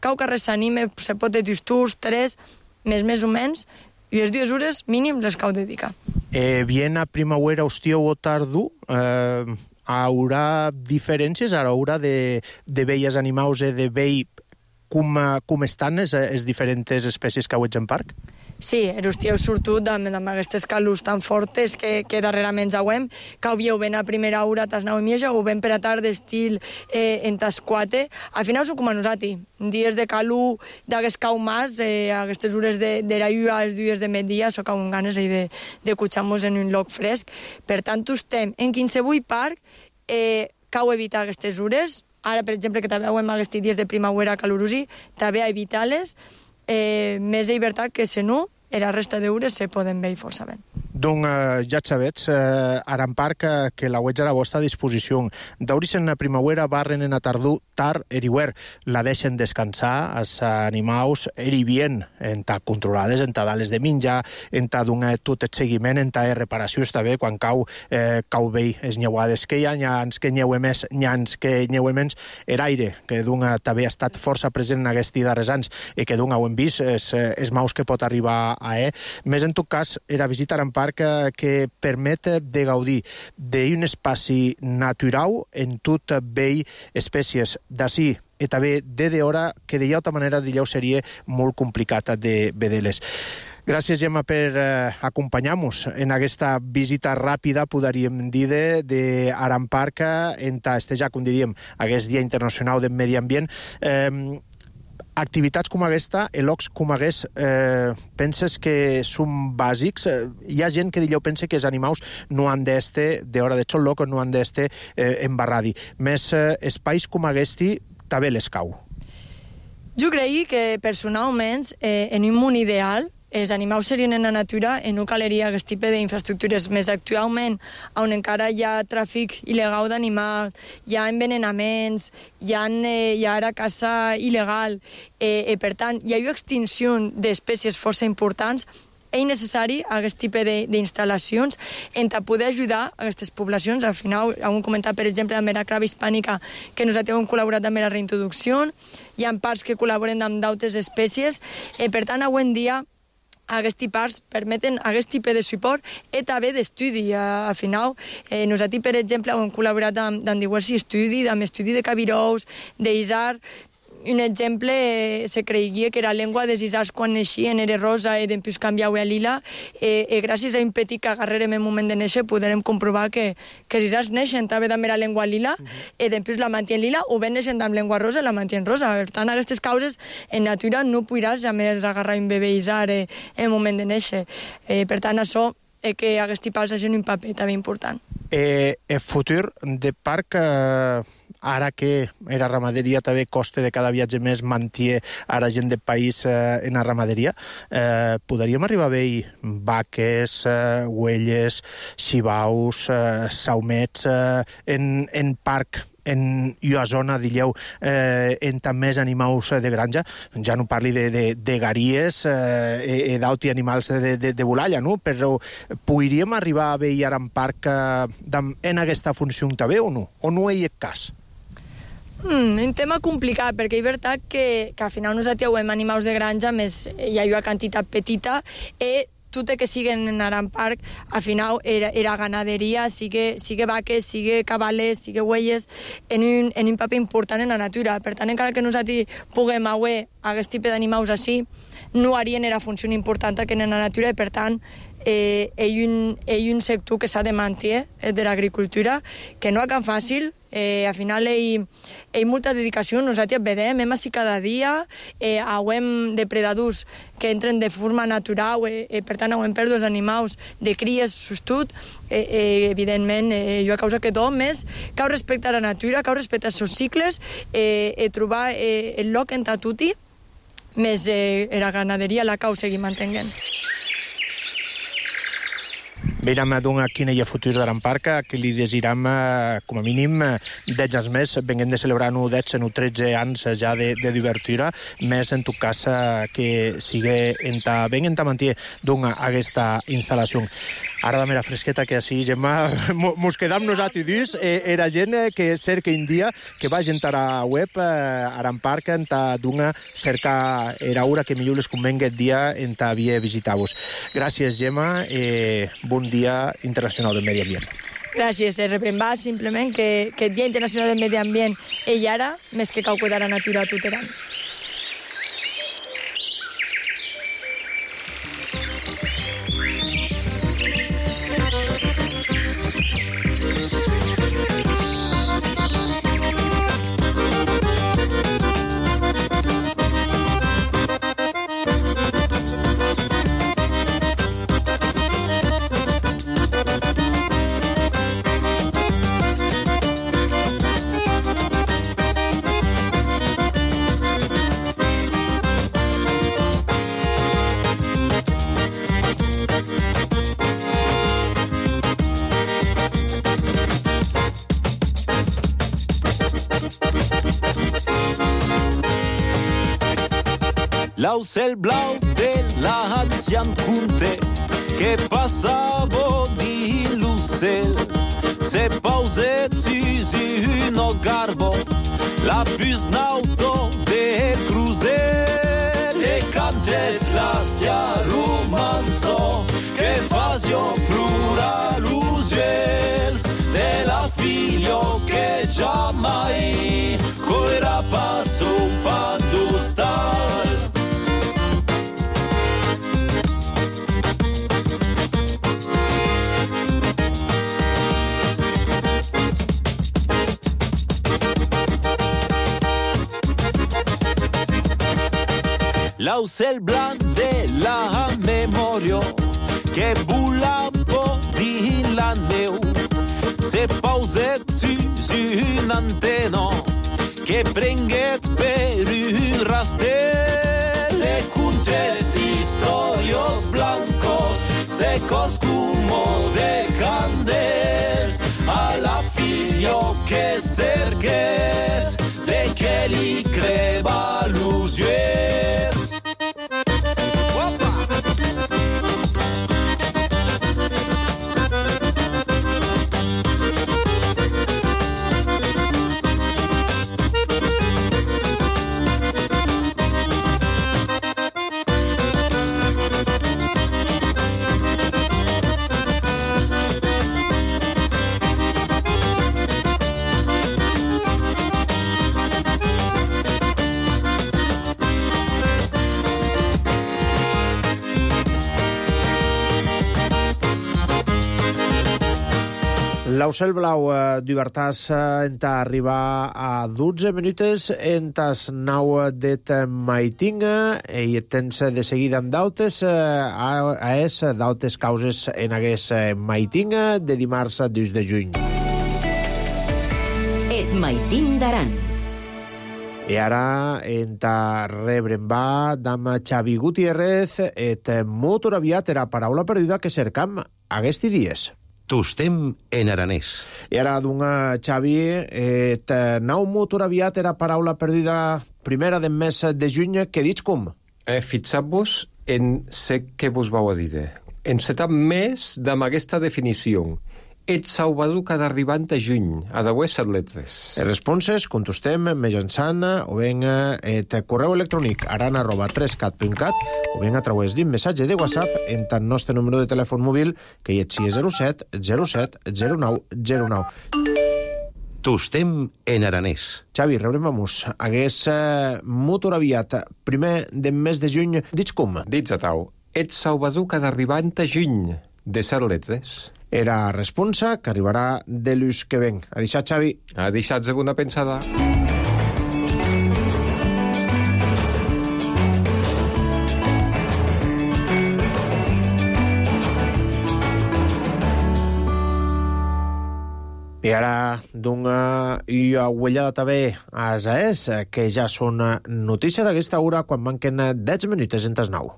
cau que res s'anime, se pot de 2 tours, 3, més o menys, i les 2 hores mínim les cau dedicar. Bien a primavera, hostiu o tardu, haurà diferències a l'hora de veies animals de vell com estan les diferents espècies que heu en parc? Sí, l'estiu surtot amb aquestes calors tan fortes que darrerament jauem, que havíeu ben a primera hora tas 9 i mitja o ben per a tarda estil en tas 4. Al final són com a nosaltres. Dies de calor d'aquest cau mas, aquestes hores de la llua, els dies de migdia, so cau amb ganes de cotxar-nos en un lloc fresc. Per tant, estem en qualsevol parc, cau evitar aquestes hores. Ara, per exemple, que també veiem aquests dies de primavera calorosi, també a evitar-les, més llibertat que se no, i la resta d'hores se poden veure força bé. Donc, ja sabets, Arampar que la veig a la vostra disposició. Dauris en la primavera, barren en la tardor, tard, eriuer, la deixen descansar, els animals, bien, en ta controlades, en ta dales de menjar, en ta donar tot el seguiment, en ta reparació, està bé, quan cau bé les nyeuades que hi ha, nyans que nyeu més, nyans que nyeu menys, l'aire, que també ha estat força present en aquests darrers anys, i que ho hem vist, els maus que pot arribar més en tot cas era visitar un parc que permet de gaudir d'un espai natural en tot vell espècies d'ací i també de hora que de altra manera seria molt complicat de veure-les. Gràcies, Gemma, per acompanyar-nos en aquesta visita ràpida, podríem dir, d'Arampar en ja, com diríem, aquest Dia Internacional del Medi Ambient. Activitats com aquesta, llocs com aquest, penses que són bàsics? Hi ha gent que pensa que els animals no han d'estar, d'hora de xol loc, no han d'estar embarradi. Més espais com aquest també les cau. Jo crec que, personalment, en un món ideal, els animals serien en la natura i no caleria aquest tipus d'infraestructures. Més actualment, on encara hi ha tràfic il·legal d'animals, hi ha envenenaments, hi ha ara caça il·legal, per tant, hi ha una extinció d'espècies força importants. És necessari aquest tipus d'instal·lacions en poder ajudar aquestes poblacions. Al final, hem comentat, per exemple, amb la crava hispànica, que nosaltres hem col·laborat amb la reintroducció. Hi ha parcs que col·laboren amb d'altres espècies. Per tant, avui en dia, aquests parcs permeten aquest tipus de suport i també d'estudi. Al final, nosaltres, per exemple, hem col·laborat amb diversos estudis, amb estudi de cabirous, d'isard. Un exemple, se creia que la llengua dels isards quan naixien era rosa i després canviava a lila, i gràcies a un petit que agarrarem en el moment de néixer podrem comprovar que els isards neixen també amb la llengua lila i després la mantien lila, o ben neixen amb llengua rosa i la mantien rosa. Per tant, aquestes causes en natura no podràs jamais agarrar un bebè isard en el moment de néixer. Per tant, això és que aquests parcs hagin un paper també important. El futur de parc, ara que la ramaderia també costa de cada viatge més manté a la gent del país en la ramaderia, podríem arribar a veure vaques, huelles, xivaus, saumets en parc, en una zona, digueu, en també animals de granja, ja no parli de garies i d'altres animals de volalla, no? Però podríem arribar a veure en parc en aquesta funció també o no? O no hi ha cas? Un tema complicat, perquè és veritat que al final nosaltres hem animals de granja, més hi ha una quantitat petita, i tot que siguen en Aran Park, al final era ganaderia, sigue vaques, sigue cabales, sigue huelles, en un paper important en la natura. Per tant, encara que nosaltres puguem auer aquest tipus d'animals així, no harien era funció important que en la natura, i per tant hi ha un sector que s'ha de mantenir de l'agricultura, que no és tan fàcil. Al final hi ha molta dedicació, nosaltres vedem, hem així cada dia, hem depredadors que entren de forma natural, per tant hem pèrdues d'animals, de cries, sostut, evidentment, jo a causa que tot més, cal respectar la natura, cal respectar els seus cicles, trobar el lloc en tatuti, més la ganaderia la cal seguir mantenint. Veiem quin hi ha futur d'Aran Park, que li desiram, com a mínim, 10 anys més. Venguem de celebrar 10 o 13 anys ja de divertida, més en tot cas que sigui ben en manté aquesta instal·lació. Ara de mera fresqueta que així, Gemma, mos quedam nosaltres dins. Era gent que cerca un dia, que va entrar a web Aran Park, cerca era hora que millor les convenga el dia en havia visitar-vos. Gràcies, Gemma. Bon Dia Internacional del Medi Ambient. Gràcies, reprembar simplement que el Dia Internacional del Medi Ambient és ara, més que cal cuidar la natura a tot Aran. L'aucel blau de l'ancian conte que passava di l'ucel se pauset sus un garbo la bus nauto de cruzel e cantet la sia romanzo che fasio plura l'usuels de la figlio che già mai correrà passo pandustal. L'aucel blanc de la memòria que volava dins la neu se pauset sus un antena que prenguet per un rastel e contet historios blancos secos como de candels a la figlio que cerquet de que li creba los ulls. L'Aucel Blau d'Ibertàs arribar a 12 minutes en tas 9 det maitinga i tens de seguida amb dautes dautes causes en hagués maitinga de dimarts a 2 de juny. Et maiting d'Aran. I ara rebrem va d'am Xavi Gutiérrez et molt aviat era paraula perduda que cercam aquests dies. Tostem en aranès. I ara, Xavi, nau molt aviat era paraula perduda primera del mes de juny, que dits com? Fixar-vos en ce que vos vau a dir. Encetar més amb aquesta definició. ets Salvador cada arribant a juny, a dauer set letres. Les responses contestem mitjançant o ben et correu electrònic aran@3cat.cat o ben a través d'un missatge de WhatsApp en el nostre número de telèfon mòbil que hi és 07 07 09 09. Tostem en aranès. Xavi, rebrem-vos. Hagués motor aviat primer de mes de juny, dits com? Dits a tau, ets Salvador cada arribant a juny, de set letres. Era responsa que arribarà de l'ús que ven. A deixar, Xavi. A deixar-se una pensada. I ara d'una uellada també a Asaès, que ja són notícia d'aquesta hora quan manquen 10 minuts en tas 9.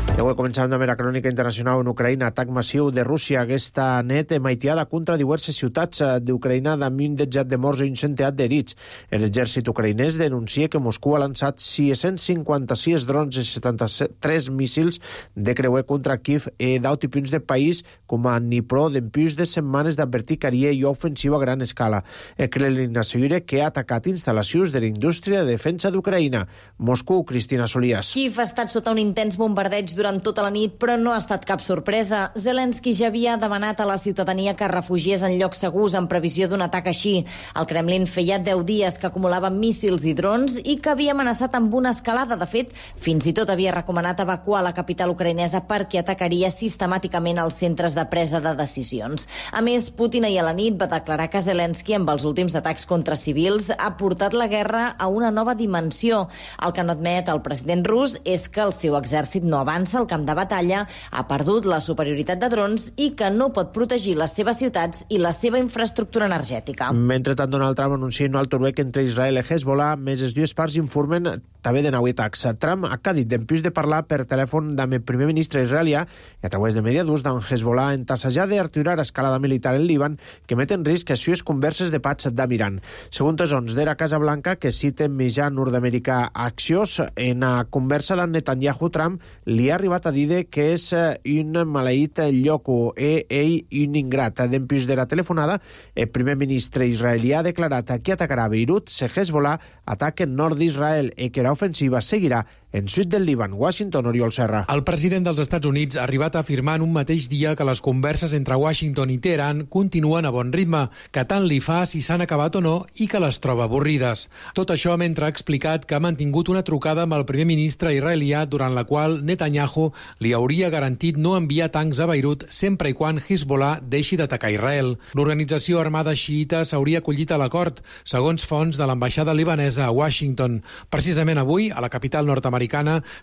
I avui començàvem amb la crònica internacional en Ucraïna. Atac massiu de Rússia aquesta nit maitiada contra diverses ciutats d'Ucraïna amb un dejat de morts i un centenar d'herits. L'exèrcit ucraïnès denuncia que Moscou ha lançat 656 drons i 73 míssils de creuer contra Kiev i d'altres punts del país com a Dnipro d'empús de setmanes d'advertir que haria i ofensiva a gran escala. El Kremlin assegura que ha atacat instal·lacions de la indústria de defensa d'Ucraïna. Moscou, Cristina Solías. Kiev ha estat sota un intens bombardeig durant tota la nit, però no ha estat cap sorpresa. Zelensky ja havia demanat a la ciutadania que refugiés en llocs segurs en previsió d'un atac així. El Kremlin feia 10 dies que acumulava míssils i drons i que havia amenaçat amb una escalada. De fet, fins i tot havia recomanat evacuar la capital ucraïnesa perquè atacaria sistemàticament els centres de presa de decisions. A més, Putin ahir a la nit va declarar que Zelensky, amb els últims atacs contra civils, ha portat la guerra a una nova dimensió. El que no admet el president rus és que el seu exèrcit no avança al camp de batalla, ha perdut la superioritat de drons i que no pot protegir les seves ciutats i la seva infraestructura energètica. Mentrestant, Donald Trump anuncia un alto ruec entre Israel i Hezbollah, més les dues parts informen també de nou atacs. Trump ha dit d'empús de parlar per telèfon amb el primer ministre israelià i a través de mediadors d'en Hezbollah en tassejar d'aturar escalada militar en Líban que met en risc les sues converses de paz d'Amiran. Segons els de la Casa Blanca, que citen mitjà nord-americà Axios, en la conversa d'en Netanyahu-Trump li ha arribat a dir que és un maleït lloco i ell un ingrat. D'empús de la telefonada, el primer ministre israelià ha declarat que atacarà Beirut si Hezbollah ataca el nord d'Israel i que l'ofensiva seguirà en sud del Líban. Washington, Oriol Serra. El president dels Estats Units ha arribat a afirmar en un mateix dia que les converses entre Washington i Teheran continuen a bon ritme, que tant li fa si s'han acabat o no i que les troba avorrides. Tot això mentre ha explicat que ha mantingut una trucada amb el primer ministre israelià durant la qual Netanyahu li hauria garantit no enviar tancs a Beirut sempre i quan Hezbollah deixi d'atacar Israel. L'organització armada xiïta s'hauria acollit a l'acord, segons fonts de l'ambaixada libanesa a Washington. Precisament avui, a la capital nord-americana,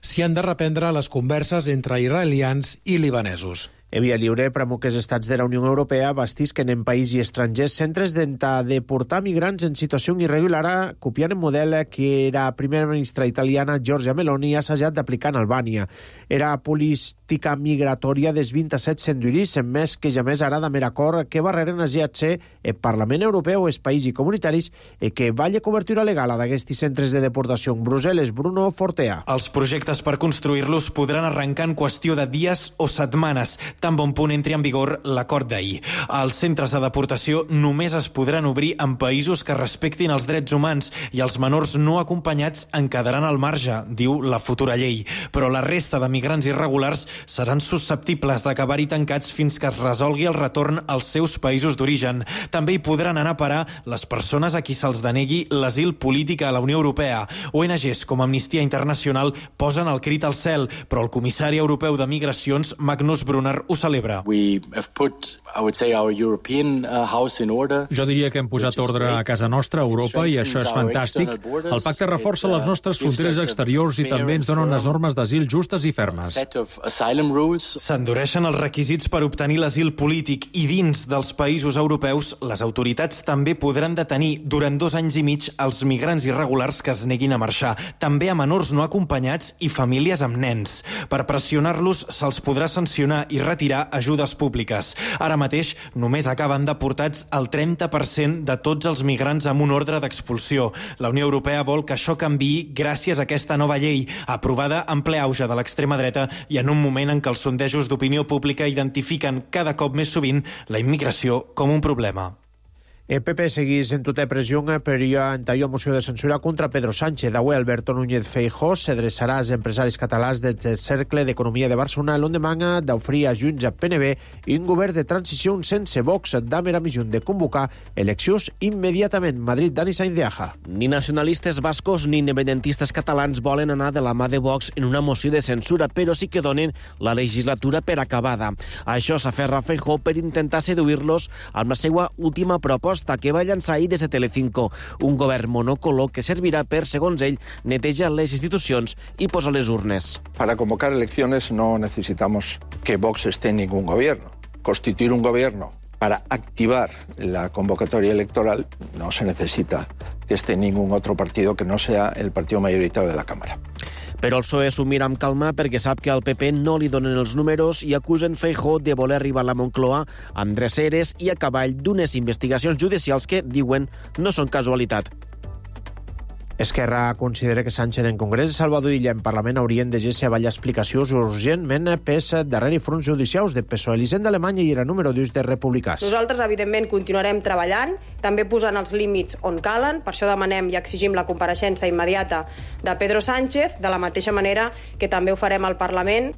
s'hi han de reprendre les converses entre israelians i libanesos. Via lliure promou que els estats de la Unió Europea bastisquen en país i estrangers centres de portar migrants en situació irregular, copiant el model que la primera ministra italiana Giorgia Meloni ha assajat d'aplicar en Albània. Era política migratòria dels 27 centuris, més que ja més ara d'haver acord que barreren es GHC, el Parlament Europeu, els països comunitaris, i que valla cobertura legal a d'aquests centres de deportació en Brussel·les. Bruno Fortea. Els projectes per construir-los podran arrencar en qüestió de dies o setmanes, tan bon punt entri en vigor l'acord d'ahir. Els centres de deportació només es podran obrir en països que respectin els drets humans i els menors no acompanyats en quedaran al marge, diu la futura llei. Però la resta de migrants irregulars seran susceptibles d'acabar-hi tancats fins que es resolgui el retorn als seus països d'origen. També hi podran anar a parar les persones a qui se'ls denegui l'asil polític a la Unió Europea. ONGs com Amnistia Internacional posen el crit al cel, però el comissari europeu de Migracions, Magnus Brunner, ho celebra. Jo diria que hem posat ordre a casa nostra, a Europa, i això és fantàstic. El pacte reforça les nostres fronteres exteriors i també ens dona unes normes d'asil justes i fermes. S'endureixen els requisits per obtenir l'asil polític i dins dels països europeus les autoritats també podran detenir durant 2 anys i mig els migrants irregulars que es neguin a marxar, també a menors no acompanyats i famílies amb nens. Per pressionar-los se'ls podrà sancionar i retirar retirar ajudes públiques. Ara mateix només acaben deportats el 30% de tots els migrants amb un ordre d'expulsió. La Unió Europea vol que això canviï gràcies a aquesta nova llei, aprovada en ple auge de l'extrema dreta i en un moment en què els sondejos d'opinió pública identifiquen cada cop més sovint la immigració com un problema. El PP seguís en tota pressió per entalló moció de censura contra Pedro Sánchez. Avui Alberto Núñez Feijóo s'adreçarà als empresaris catalans del Cercle d'Economia de Barcelona l'endemà d'oferir a Junts a PNB i un govern de transició sense Vox. Dame la missió de convocar eleccions immediatament. Madrid, Dani Sainz de Aja. Ni nacionalistes bascos ni independentistes catalans volen anar de la mà de Vox en una moció de censura, però sí que donen la legislatura per acabada. Això s'aferra Feijóo per intentar seduir-los amb la seva última proposta que va llançar ahir des de Telecinco, un govern monocolor que servirà per, segons ell, netejar les institucions i posar les urnes. Para convocar elecciones no necesitamos que Vox esté en ningún gobierno. Constituir un gobierno para activar la convocatoria electoral no se necesita que esté ningún otro partido que no sea el partido mayoritario de la Cámara. Però el PSOE s'ho mira amb calma perquè sap que al PP no li donen els números i acusen Feijóo de voler arribar a la Moncloa amb dreceres i a cavall d'unes investigacions judicials que, diuen, no són casualitat. Esquerra considera que Sánchez en Congrés de Salvador Illa en Parlament haurien de ser ballar explicacions urgentment pes darrere fronts judicials de PSOE, l'Hisenda d'Alemanya i era número 2 de republicans. Nosaltres, evidentment, continuarem treballant, també posant els límits on calen, per això demanem i exigim la compareixença immediata de Pedro Sánchez, de la mateixa manera que també ho farem al Parlament.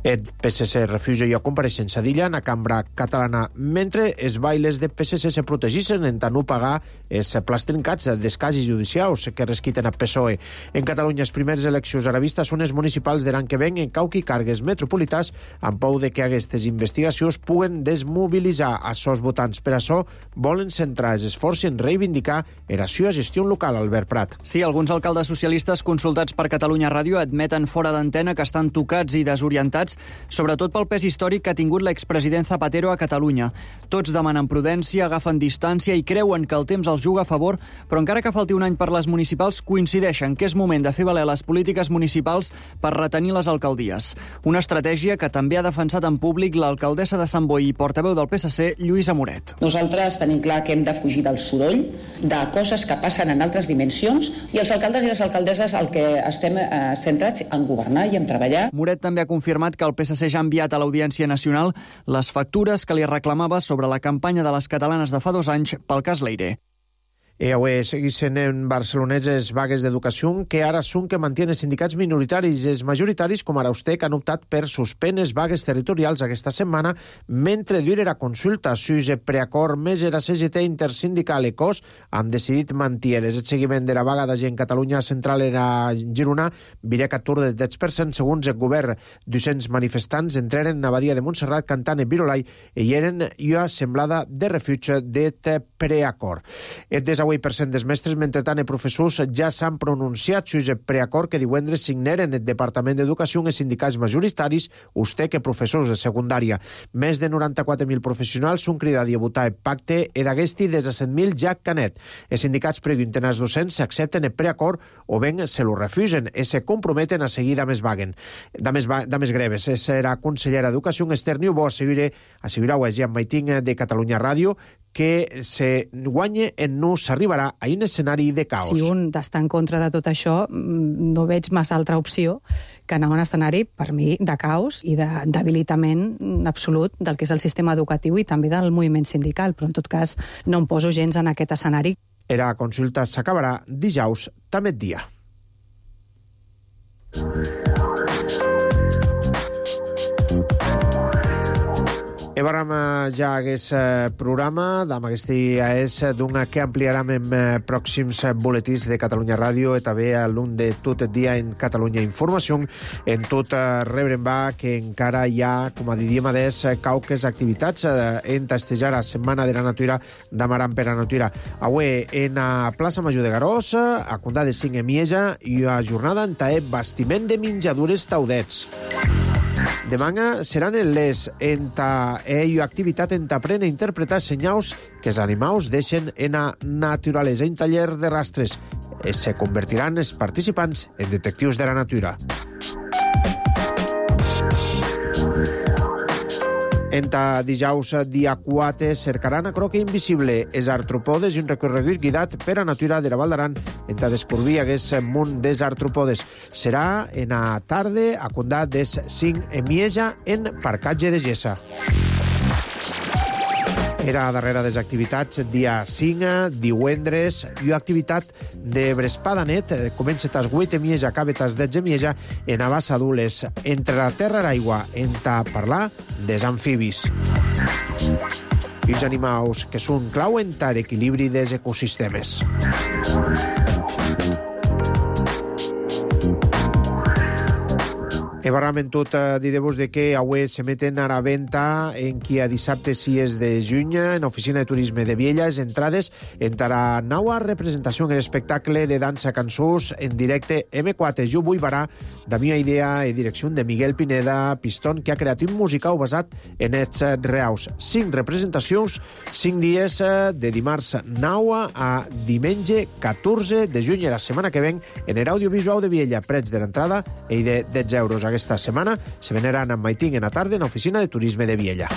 El PSC refusa ja compareixença d'Illa en la cambra catalana, mentre els bailes de PSC se protegissin en tant no pagar els plats trincats dels casos judicials que resquiten a PSOE. En Catalunya, les primeres eleccions a la vista són les municipals de l'any que ven en cauqui càrrecs metropolitans amb por de que aquestes investigacions puguen desmobilitzar els seus votants. Per això volen centrar els esforços en reivindicar la seva gestió local, Albert Prat. Sí, alguns alcaldes socialistes consultats per Catalunya Ràdio admeten fora d'antena que estan tocats i desorientats, sobretot pel pes històric que ha tingut l'expresident Zapatero a Catalunya. Tots demanen prudència, agafen distància i creuen que el temps els juga a favor, però encara que falti un any per les municipals, coincideixen que és moment de fer valer les polítiques municipals per retenir les alcaldies. Una estratègia que també ha defensat en públic l'alcaldessa de Sant Boi i portaveu del PSC, Lluïsa Moret. Nosaltres tenim clar que hem de fugir del soroll, de coses que passen en altres dimensions, i els alcaldes i les alcaldesses el que estem centrats en governar i en treballar. Moret també ha confirmat que el PSC ja ha enviat a l'Audiència Nacional les factures que li reclamava sobre la campanya de les catalanes de fa 2 anys pel cas Leire. Avui segueixen en barcelonets les vagues d'educació que ara són que mantenen sindicats minoritaris. Els majoritaris, com ara Ustec, han optat per suspendre les vagues territorials aquesta setmana mentre dura la consulta. Sus preacord més la CGT intersindical ECOS han decidit mantenir el seguiment de la vaga de gent Catalunya Central en Girona virà 14 del 10%. Segons el govern, 200 manifestants entraren a Badia de Montserrat cantant el Virolai i eren una semblada de refugi de preacord. El 8% dels mestres, mentre tant, els professors ja s'han pronunciat sobre el preacord que divendres signaren el Departament d'Educació i els sindicats majoritaris, Ustec i professors de secundària. Més de 94.000 professionals són cridats a votar el pacte i d'aquesti des de 100.000 ja Canet. Els sindicats pregunten als docents si accepten el preacord o ben se lo refusen i se comprometen a seguir de més greves. Serà consellera d'Educació Esther Niubó assegurà a Jean Maiting de Catalunya Ràdio que se guanya en no s'arribarà a un escenari de caos. Si un està en contra de tot això, no veig massa altra opció que anar a un escenari, per mi, de caos i de debilitament absolut del que és el sistema educatiu i també del moviment sindical, però en tot cas no em poso gens en aquest escenari. La consulta s'acabarà dijous, també dia. Evaram ja aquest programa, amb aquest dia és d'un que ampliarem en pròxims boletins de Catalunya Ràdio i també a l'un de tot el dia en Catalunya Informació. En tot rebrem va que encara hi ha, com a diríem adés, cauques activitats en testejar la Setmana de la Natura d'Amaram per la Natura. Avui en la plaça Major de Garós, a Condà de Cinc Emieja, i a jornada en tae bastiment de menjadures taudets. Demà seran les activitat en t'aprèn a interpretar senyals que els animals deixen en la naturalesa. En taller de rastres se convertiran els participants en detectius de la natura. Enta dijous dia 4 cercaran a croca invisible es artropodes i un recorregut guidat per a natura de la Val d'Aran enta descobrir hagués munt des artropodes. Serà en a tarde a condat des 5 emieja en Parcatge de Gessa. Era darrere des activitats dia 5, divendres, i activitat de Brespadanet, comença tas 8 emieja, acaba tas 10 emieja, en Abassa Dules, entre la terra i l'aigua, enta parlar des amfibis. I els animals que són clau en l'equilibri dels ecosistemes. E barrament tot dir-vos de que avui se meten a la venda en qui a dissabte 6 de juny en Oficina de Turisme de Viella les entrades entre la nova representació en l'espectacle de dansa cançons en directe M4. Jo vull barar de meva idea i direcció de Miguel Pineda Pistón, que ha creat un musical basat en ets reals. 5 representacions, 5 dies de dimarts 9 a diumenge 14 de juny, la setmana que ven en l'audiovisual de Viella. Preig de l'entrada i de 10 euros. Aquesta setmana se veneran amb Maiting en la tarda en l'Oficina de Turisme de Viella.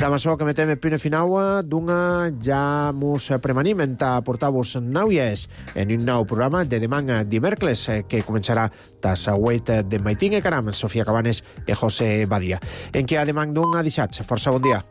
Amb això que metem el punt final d'una ja mos premanim a portar-vos noies en un nou programa de demà dimecres que començarà tas 8 de Maiting e Caram, Sofia Cabanes i José Badia. En què a demà d'un dissabte. Força bon dia.